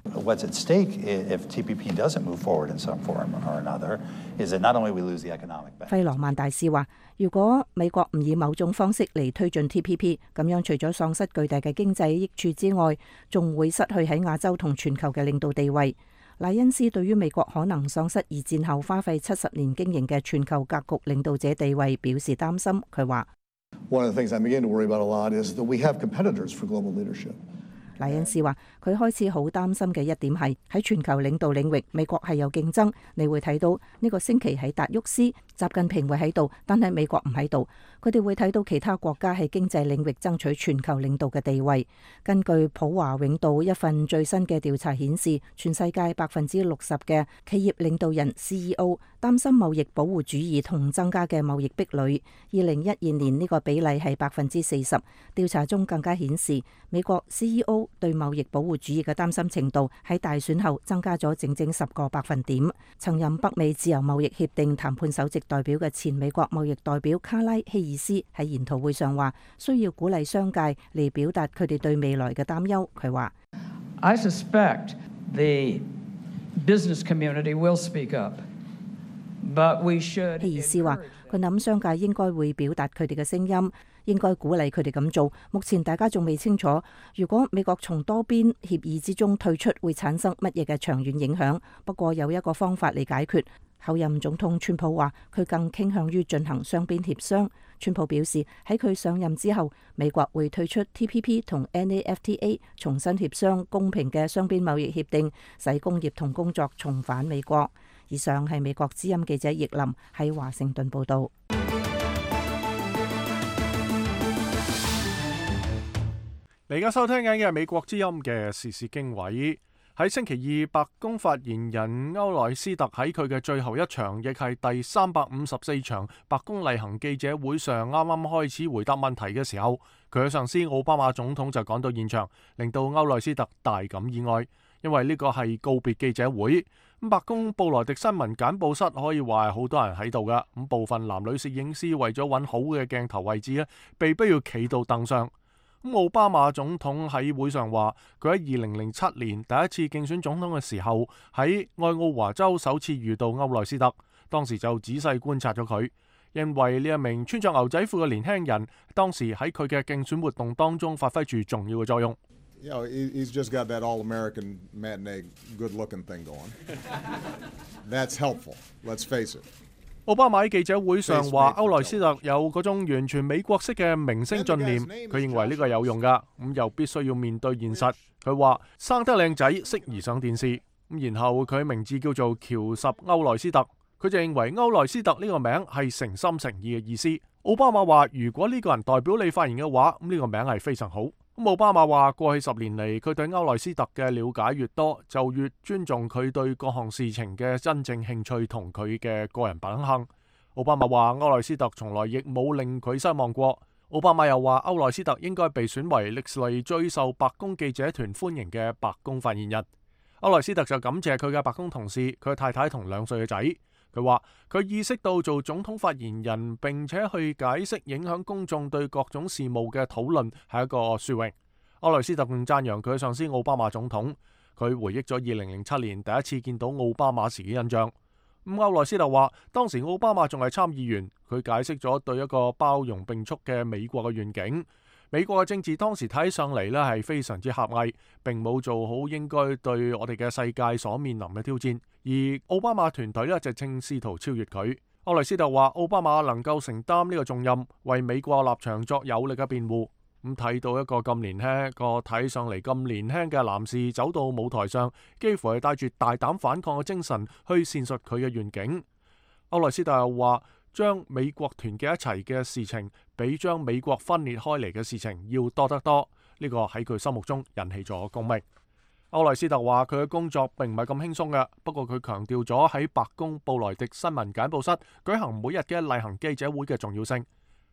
What's at stake if T P P doesn't move forward in some form or another is that not only we lose the economic benefit。費羅曼大使話：如果美國唔以某種方式嚟推進 T P P， 咁樣除咗喪失巨大嘅經濟益處之外，仲會失去喺亞洲同全球嘅領導地位。賴恩斯對於美國可能喪失二戰後花費七十年經營嘅全球格局領導者地位表示擔心。佢話：One of the things I begin to worry about a lot is that we have competitors for global leadership。賴恩斯話：佢開始好擔心嘅一點係喺全球領導領域，美國係有競爭。你會睇到呢個星期喺達沃斯，習近平會喺度，但係美國唔喺度。佢哋會睇到其他國家喺經濟領域爭取全球領導嘅地位。根據普華永道一份最新嘅調查顯示，全世界百分之六十嘅企業領導人 C E O 擔心貿易保護主義同增加嘅貿易壁壘。二零一二年呢個比例係百分之四十。調查中更加顯示，美國 C E O 對貿易保護主義嘅擔心程度喺大選後增加咗整整十個百分點。曾任北美自由貿易協定談判首席代表嘅前美國貿易代表卡拉希爾斯喺研討會上話：需要鼓勵商界嚟表達佢哋對未來嘅擔憂。佢話：I suspect the business community will speak up, but we should。希爾斯話：佢諗商界應該會表達佢哋嘅聲音。應該鼓勵佢哋咁做。目前大家仲未清楚，如果美國從多邊協議之中退出，會產生乜嘢嘅長遠影響。不過有一個方法嚟解決。後任總統川普話，佢更傾向於進行雙邊協商。川普表示喺佢上任之後，美國會退出 T P P 同 N A F T A， 重新協商公平嘅雙邊貿易協定，使工業同工作重返美國。以上係美國之音記者葉林喺華盛頓報導。你而家收聽緊嘅係美國之音嘅時事經緯。喺星期二，白宮發言人歐萊斯特喺佢嘅最後一場，亦係第三百五十四場白宮例行記者會上，啱啱開始回答問題嘅時候，佢嘅上司奧巴馬總統就趕到現場，令到歐萊斯特大感意外，因為呢個係告別記者會。咁白宮布萊迪新聞簡報室可以話係好多人喺度噶，咁部分男女攝影師為咗揾好嘅鏡頭位置咧，被逼要企到凳上。咁奧巴馬總統喺會上話，佢喺二零零七年第一次競選總統嘅時候，喺愛奧華州首次遇到歐萊斯特，當時就仔細觀察咗佢，因為呢一名穿着牛仔褲嘅年輕人，當時喺佢嘅競選活動當中發揮住重要嘅作用。You know, he's just got that all-American matinee good-looking thing going. That's helpful. Let's face it. 奧巴馬喺記者會上話，歐萊斯特有嗰種完全美國式嘅明星信念，佢認為呢個有用噶，咁又必須要面對現實。佢話生得靚仔適宜上電視，咁然後佢名字叫做喬什歐萊斯特，佢就認為歐萊斯特呢個名係誠心誠意嘅意思。奧巴馬話，如果呢個人代表你發言嘅話，咁呢個名係非常好。咁奧巴馬話，過去十年嚟，佢對歐萊斯特嘅了解越多，就越尊重佢對各項事情嘅真正興趣同佢嘅個人品行。奧巴馬話，歐萊斯特從來亦冇令佢失望過。奧巴馬又話，歐萊斯特應該被選為歷嚟最受白宮記者團歡迎嘅白宮發言人。歐萊斯特就感謝佢嘅白宮同事、佢嘅太太同兩歲嘅仔。佢話佢意識到做總統發言人並且去解釋影響公眾對各種事務嘅討論係一個殊榮。歐萊斯特仲讚揚佢嘅上司奧巴馬總統。佢回憶咗二零零七年第一次見到奧巴馬時嘅印象。咁歐萊斯特話當時奧巴馬仲係參議員，佢解釋咗對一個包容並蓄嘅美國嘅願景。美國嘅政治當時睇起上嚟呢係非常之狹隘，並冇做好應該對我哋嘅世界所面臨嘅挑戰。而奧巴馬團隊呢就正試圖超越佢。歐萊斯特話奧巴馬能夠承擔呢個重任，為美國立場作有力嘅辯護。咁睇到一個咁年輕、一個睇上嚟咁年輕嘅男士走到舞台上，幾乎係帶住大膽反抗嘅精神去闡述佢嘅願景。歐萊斯特又話，將美國團結一齊嘅事情，比將美國分裂開嚟嘅事情要多得多。呢個喺佢心目中引起咗共鳴。歐萊斯特話佢嘅工作並唔係咁輕鬆嘅，不過佢強調咗喺白宮布萊迪新聞簡報室舉行每日嘅例行記者會嘅重要性。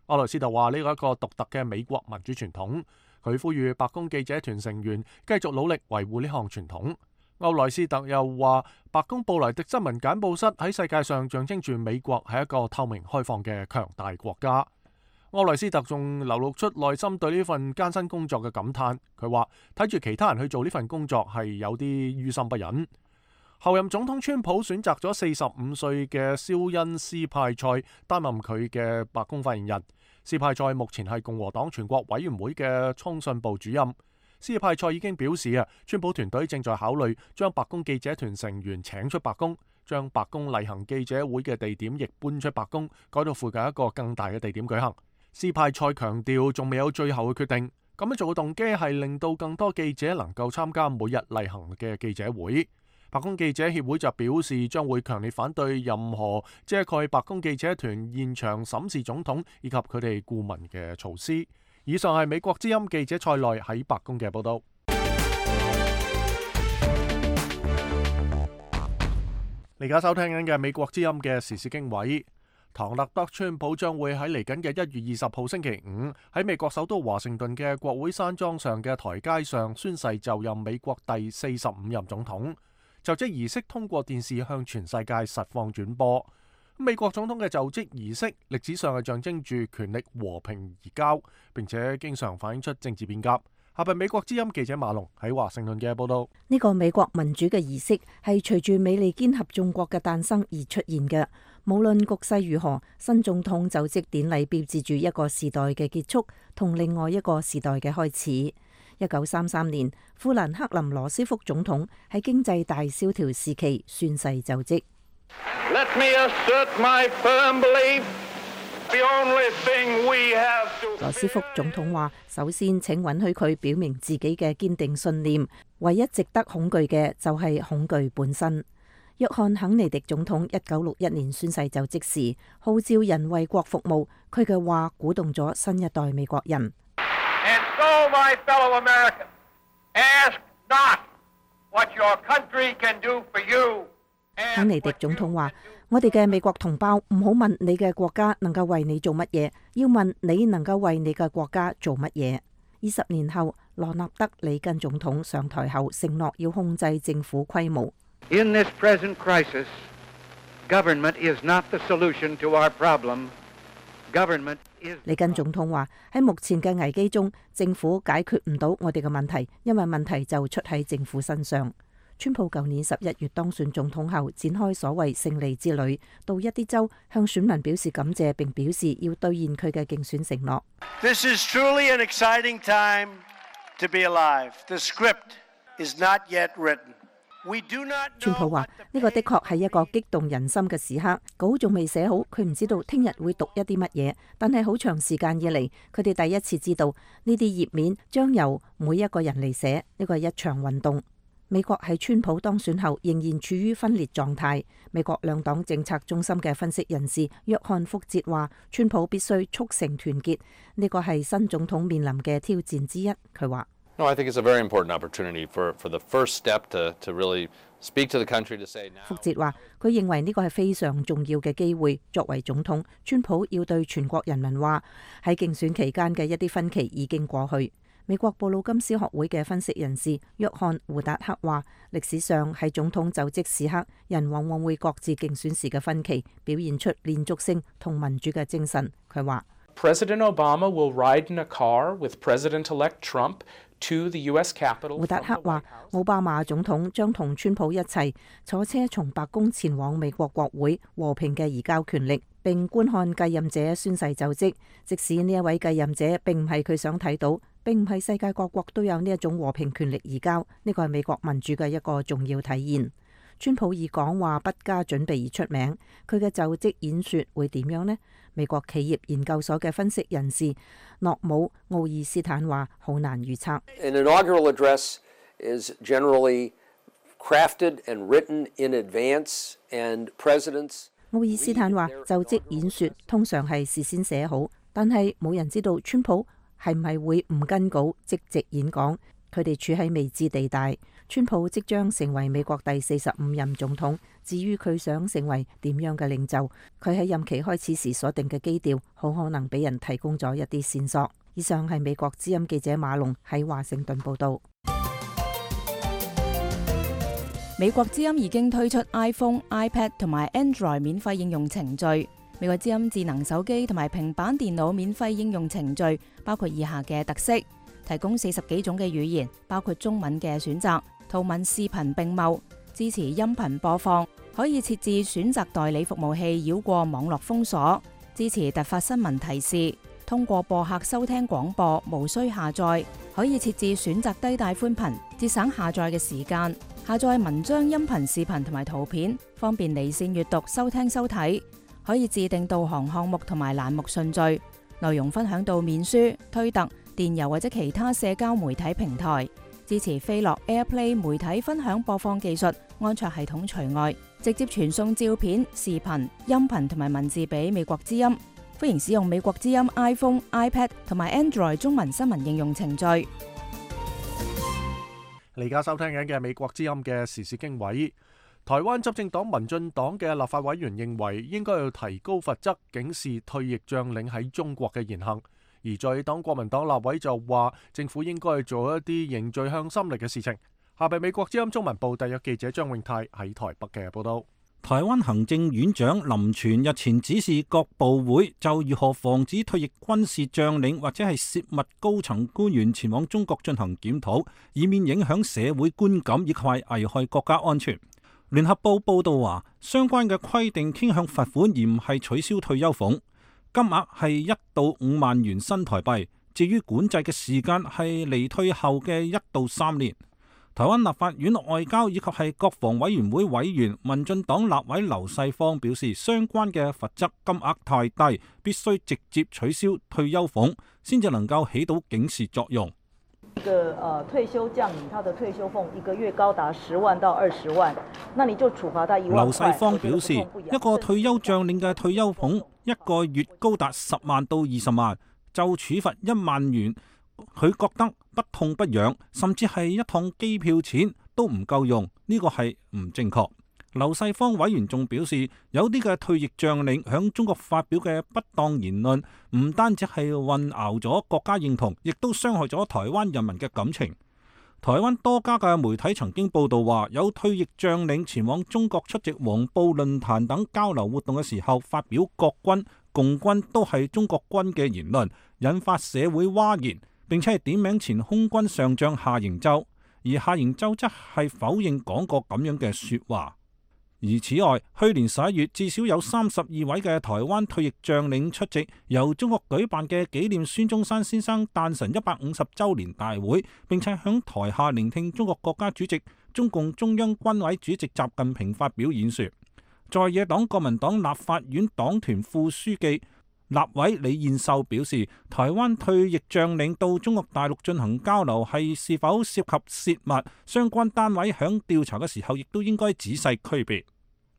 歐萊斯特話呢個係一個獨特嘅美國民主傳統，佢呼籲白宮記者團成員繼續努力維護呢項傳統。歐萊斯特又話，白宮布萊迪新聞簡報室喺世界上象徵住美國係一個透明開放嘅強大國家。柯內斯特仲流露出內心對呢份艱辛工作嘅感嘆。佢話睇住其他人去做呢份工作係有啲於心不忍。後任總統川普選擇咗四十五歲嘅肖恩斯派塞擔任佢嘅白宮發言人。斯派塞目前係共和黨全國委員會嘅通訊部主任。斯派塞已經表示啊，川普團隊正在考慮將白宮記者團成員請出白宮，將白宮例行記者會嘅地點亦搬出白宮，改到附近一個更大嘅地點舉行。斯派塞強調仲未有最後嘅決定，咁樣做嘅動機係令到更多記者能夠參加每日例行嘅記者會。白宮記者協會就表示將會強烈反對任何遮蓋白宮記者團現場審視總統以及佢哋顧問嘅措施。以上係美國之音記者蔡內喺白宮嘅報道。你而家收聽緊嘅美國之音嘅時事經緯。唐納德川普將會喺嚟緊嘅一月二十號星期五喺美國首都華盛頓嘅國會山莊上嘅台階上宣誓就任美國第四十五任總統。就職儀式通過電視向全世界實況轉播。美國總統嘅就職儀式歷史上係象徵住權力和平移交，並且經常反映出政治變革。下邊美國之音記者馬龍喺華盛頓嘅報道。呢個美國民主嘅儀式係隨住美利堅合眾國嘅誕生而出現嘅。無論局勢如何，新總統就職典禮標誌住一個時代嘅結束同另外一個時代嘅開始。一九三三年，富蘭克林羅斯福總統喺經濟大蕭條時期宣誓就職。Let me assert my firm belief, the only thing we have to... 羅斯福總統話：首先請允許佢表明自己嘅堅定信念，唯一值得恐懼嘅就係恐懼本身。約翰肯尼迪總統一九六一年宣誓就職時，號召人為國服務，佢嘅話鼓動咗新一代美國人。And so, my fellow Americans, ask not what your country can do for you. 肯尼迪總統話：我哋嘅美國同胞唔好問你嘅國家能夠為你做乜嘢，要問你能夠為你嘅國家做乜嘢。二十年後，羅納德里根總統上台後承諾要控制政府規模。In this present crisis, government is not the solution to our problem. Government is... 里根總統話：喺目前嘅危機中，政府解決唔到我哋嘅問題，因為問題就出喺政府身上。川普舊年十一月當選總統後，展開所謂勝利之旅，到一啲州向選民表示感謝，並表示要兌現佢嘅競選承諾。This is truly an exciting time to be alive. The script is not yet written. We do not know... 川普話：呢個的確係一個激動人心嘅時刻，稿仲未寫好，佢唔知道聽日會讀一啲乜嘢，但係好長時間以嚟，佢哋第一次知道呢啲頁面將由每一個人嚟寫，呢個係一場運動。美國喺川普當選後仍然處於分裂狀態。美國兩黨政策中心嘅分析人士約翰福哲話：川普必須促成團結，呢個係新總統面臨嘅挑戰之一。佢話：No, I think it's a very important opportunity for for the first step to to really speak to the country to say now. 福哲話：佢認為呢個係非常重要嘅機會。作為總統，川普要對全國人民話，喺競選期間嘅一啲分歧已經過去。美國布魯金斯學會嘅分析人士約翰胡達克話：歷史上喺總統就職時刻，人往往會各自競選時嘅分歧，表現出連續性同民主嘅精神。佢話 President Obama will ride in a car with President-elect Trump to the U S Capitol。胡達克話：奧巴馬總統將同川普一齊坐車從白宮前往美國國會，和平嘅移交權力，並觀看繼任者宣誓就職。即使呢一位繼任者並唔係佢想睇到，並唔係世界各國都有呢一種和平權力移交，呢個係美國民主嘅一個重要體現。川普以講話不加準備而出名，佢嘅就職演說會點樣呢？美國企業研究所嘅分析人士諾姆奧爾斯坦話：好難預測。An inaugural address is generally crafted and written in advance, and presidents。奧爾斯坦話：就職演說通常係事先寫好，但係冇人知道川普係唔係會唔跟稿即席演講。佢哋處喺未知地帶。川普即將成為美國第四十五任總統，至於佢想成為點樣嘅領袖，佢喺任期開始時所定嘅基調，好可能俾人提供咗一啲線索。以上係美國之音記者馬龍喺華盛頓報道。美國之音已經推出 iPhone、iPad 同埋 Android 免費應用程序。美國之音智能手機同埋平板電腦免費應用程序包括以下嘅特色：提供四十幾種嘅語言，包括中文嘅選擇，圖文視頻並茂，支持音頻播放，可以設置選擇代理服務器繞過網絡封鎖，支持突發新聞提示，通過播客收聽廣播，無需下載，可以設置選擇低帶寬頻，節省下載嘅時間，下載文章、音頻、視頻同埋圖片，方便離線閱讀、收聽收睇。可以自定導航項目同埋欄目順序，內容分享到面書、推特、電郵或者其他社交媒體平台，支持飛樂 AirPlay 媒體分享播放技術，安卓系統除外，直接傳送照片、視頻、音頻同埋文字俾美國之音。歡迎使用美國之音 iPhone、iPad 同埋 Android 中文新聞應用程序。你而家收聽緊嘅美國之音嘅時事經緯。台灣執政黨民進黨嘅立法委員認為應該要提高罰則，警示退役將領喺中國嘅言行。而在野黨國民黨立委就話，政府應該做一啲凝聚向心力嘅事情。下邊美國之音中文部特約記者張永泰喺台北嘅報道。台灣行政院長林全日前指示各部會就如何防止退役軍事將領或者係涉密高層官員前往中國進行檢討，以免影響社會觀感以及危害國家安全。聯合報報道話，相關嘅規定傾向罰款，而唔係取消退休俸，金額係一到五萬元新台幣。至於管制嘅時間係離退後嘅一到三年。台灣立法院外交以及係國防委員會委員民進黨立委劉世芳表示，相關嘅罰則金額太低，必須直接取消退休俸，先至能夠起到警示作用。一個呃退休將領，他的退休俸一個月高達十萬到二十萬，那你就處罰他一萬塊。劉世芳表示，一個退休將領嘅退休俸一個月高達十萬到二十萬，就處罰一萬元，佢覺得不痛不癢，甚至係一趟機票錢都唔夠用，呢個係唔正確。劉世芳委員仲表示，有啲嘅退役將領響中國發表嘅不當言論，唔單止係混淆咗國家認同，亦都傷害咗台灣人民嘅感情。台灣多家嘅媒體曾經報道話，有退役將領前往中國出席黃埔論壇等交流活動嘅時候，發表國軍、共軍都係中國軍嘅言論，引發社會譁然，並且係點名前空軍上將夏營洲，而夏營洲則係否認講過咁樣嘅說話。而此外，去年十一月至少有三十二位嘅台灣退役將領出席由中國舉辦嘅紀念孫中山先生誕辰一百五十週年大會，並且響台下聆聽中國國家主席、中共中央軍委主席習近平發表演說。在野黨國民黨立法院黨團副書記、立委李彥秀表示，台灣退役將領到中國大陸進行交流係是否涉及泄密，相關單位響調查嘅時候亦都應該仔細區別。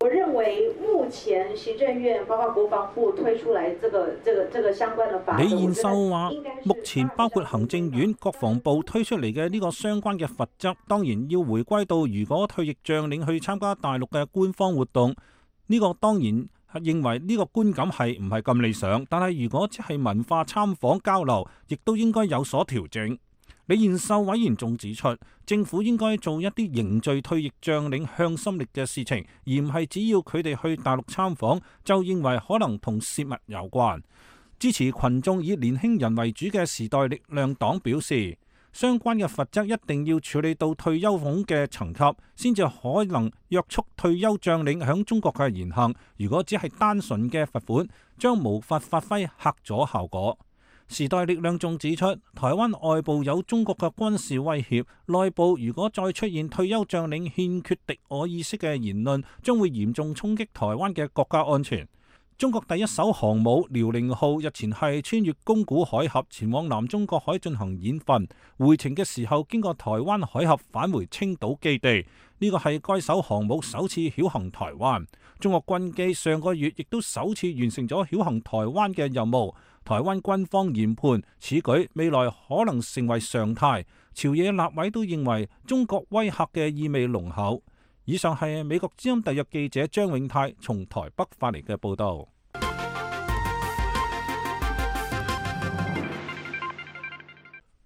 我認為目前行政院包括國防部推出來這個、這個、這個相關的法。李彥秀話，目前包括行政院、國防部推出嚟嘅呢個相關嘅罰則，當然要回歸到如果退役將領去參加大陸嘅官方活動，呢個當然認為呢個觀感係唔係咁理想，但係如果只係文化參訪交流，亦都應該有所調整。李彥秀委員仲指出，政府應該做一啲凝聚退役將領向心力嘅事情，而唔係只要佢哋去大陸參訪就認為可能同泄密有關。支持群眾以年輕人為主嘅時代力量黨表示，相關嘅罰則一定要處理到退休俸嘅層級，先至可能約束退休將領響中國嘅言行。如果只係單純嘅罰款，將無法發揮嚇阻效果。時代力量仲指出，台灣外部有中國嘅軍事威脅，內部如果再出現退休將領欠缺敵我意識嘅言論，將會嚴重衝擊台灣嘅國家安全。中國第一艘航母遼寧號日前係穿越宮古海峽前往南中國海進行演訓，回程嘅時候經過台灣海峽返回青島基地，呢個係該艘航母首次繞行台灣。中國軍機上個月亦都首次完成咗繞行台灣嘅任務。台灣軍方研判此舉未來可能成為常態，朝野立委都認為中國威嚇嘅意味濃厚。以上係美國之音特約記者張永泰從台北發嚟嘅報道。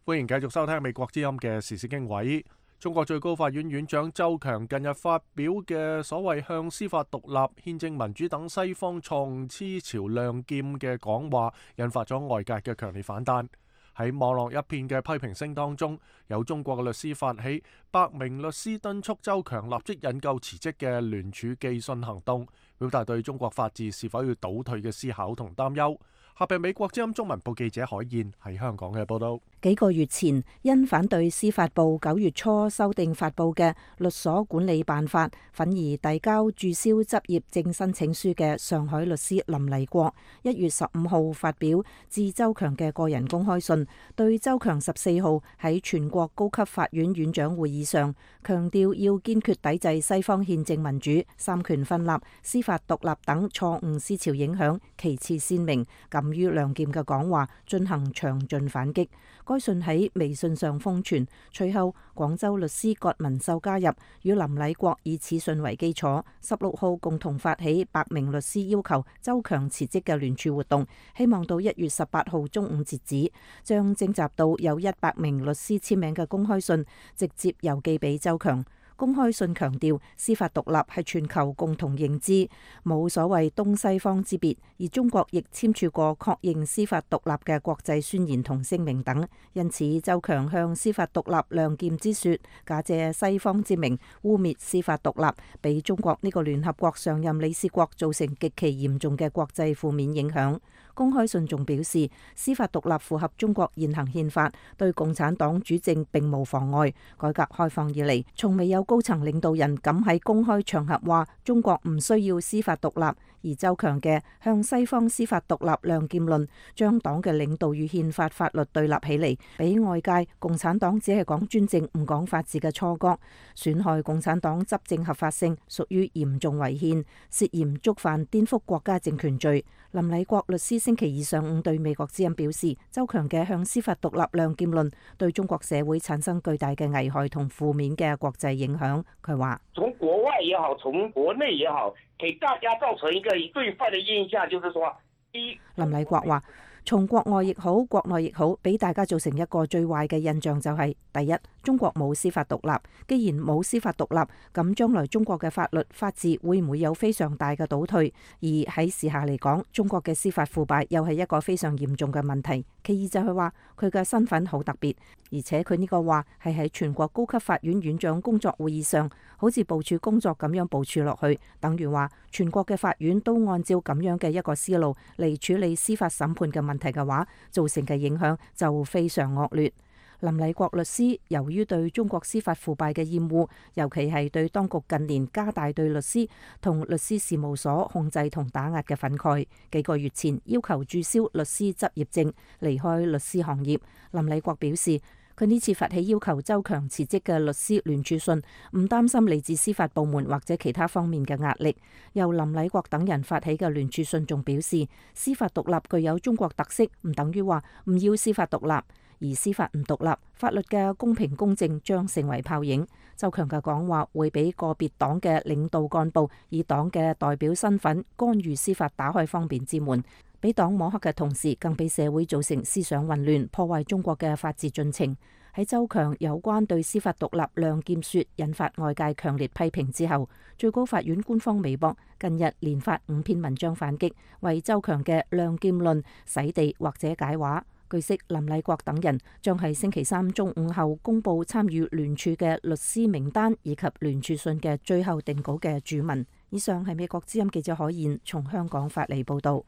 歡迎繼續收聽美國之音嘅時事經緯。中國最高法院院長周強近日發表嘅所謂向司法獨立、憲政民主等西方錯誤思潮亮劍嘅講話，引發咗外界嘅強烈反彈。喺網絡一片嘅批評聲當中，有中國嘅律師發起百名律師敦促周強立即引咎辭職嘅聯署寄信行動，表達對中國法治是否要倒退嘅思考同擔憂。下邊美國之音中文部記者海燕喺香港嘅報道。幾個月前，因反對司法部九月初修訂發布嘅律所管理辦法，憤而遞交註銷執業證申請書嘅上海律師林麗國，一月十五號發表致周強嘅個人公開信，對周強十四號喺全國高級法院院長會議上強調要堅決抵制西方憲政民主、三權分立、司法獨立等錯誤思潮影響旗幟鮮明、敢於亮劍嘅講話，進行詳盡反擊。該信喺微信上瘋傳，隨後廣州律師葛文秀加入，與林禮國以此信為基礎，十六號共同發起百名律師要求周強辭職嘅聯署活動，希望到一月十八號中午截止，將徵集到有一百名律師簽名嘅公開信直接郵寄俾周強。公開信強調司法獨立係全球共同認知，冇所謂東西方之別，而中國亦簽署過確認司法獨立嘅國際宣言同聲明等。因此，周強向司法獨立亮劍之說，假借西方之名污蔑司法獨立，俾中國呢個聯合國常任理事國造成極其嚴重嘅國際負面影響。公開信仲表示，司法獨立符合中國現行憲法，對共產黨主政並無妨礙。改革開放以嚟，從未有高層領導人敢喺公開場合話中國唔需要司法獨立。而周強嘅向西方司法獨立亮劍論，將黨嘅領導與憲法法律對立起嚟，俾外界共產黨只係講專政唔講法治嘅錯覺，損害共產黨執政合法性，屬於嚴重違憲，涉嫌觸犯顛覆國家政權罪。林禮國律師星期二上午對美國之音表示，周強嘅向司法獨立亮劍論對中國社會產生巨大嘅危害同負面嘅國際影響。佢話：從國外也好，從國內也好，給大家造成一個對壞的印象，就是說，一林禮國話，從國外亦好，國內亦好，俾大家造成一個最壞嘅印象就係：第一，中國冇司法獨立。既然冇司法獨立，咁將來中國嘅法律法治會唔會有非常大嘅倒退？而喺時下嚟講，中國嘅司法腐敗又係一個非常嚴重嘅問題。其二就係話佢嘅身份好特別，而且佢呢個話係喺全國高級法院院長工作會議上，好似部署工作咁樣部署落去，等於話全國嘅法院都按照咁樣嘅一個思路嚟處理司法審判嘅問題嘅話，造成嘅影響就非常惡劣。林禮國律師由於對中國司法腐敗嘅厭惡，尤其係對當局近年加大對律師同律師事務所控制同打壓嘅憤慨，幾個月前要求註銷律師執業證，離開律師行業。林禮國表示，佢呢次發起要求周強辭職嘅律師聯署信，唔擔心嚟自司法部門或者其他方面嘅壓力。由林禮國等人發起嘅聯署信仲表示，司法獨立具有中國特色，唔等於話唔要司法獨立。而司法唔獨立，法律嘅公平公正將成為泡影。周強嘅講話會俾個別黨嘅領導幹部以黨嘅代表身份干預司法，打開方便之門，俾黨摸黑嘅同時，更俾社會造成思想混亂，破壞中國嘅法治進程。喺周強有關對司法獨立亮劍說引發外界強烈批評之後，最高法院官方微博近日連發五篇文章反擊，為周強嘅亮劍論洗地或者解話。據悉，林禮國等人將喺星期三中午後公布參與聯署嘅律師名單以及聯署信嘅最後定稿嘅注文。以上係美國之音記者海燕從香港發嚟報道。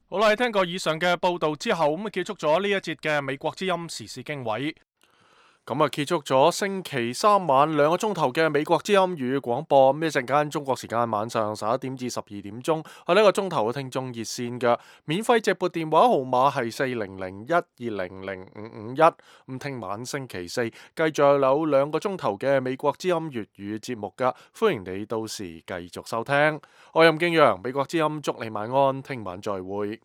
好啦，聽過以上嘅報道之後，咁啊結束咗呢一節嘅美國之音時事經緯。咁啊，結束咗星期三晚兩個鐘頭嘅美國之音語廣播。咁一陣間中國時間晚上十一點至十二點鐘，係呢個鐘頭嘅聽眾熱線嘅免費直撥電話號碼係四零零一二零零五五一。咁聽晚星期四繼續有兩個鐘頭嘅美國之音粵語節目噶，歡迎你到時繼續收聽。我係任敬陽，美國之音祝你晚安，聽晚再會。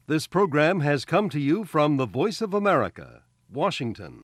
This program has come to you from the Voice of America, Washington.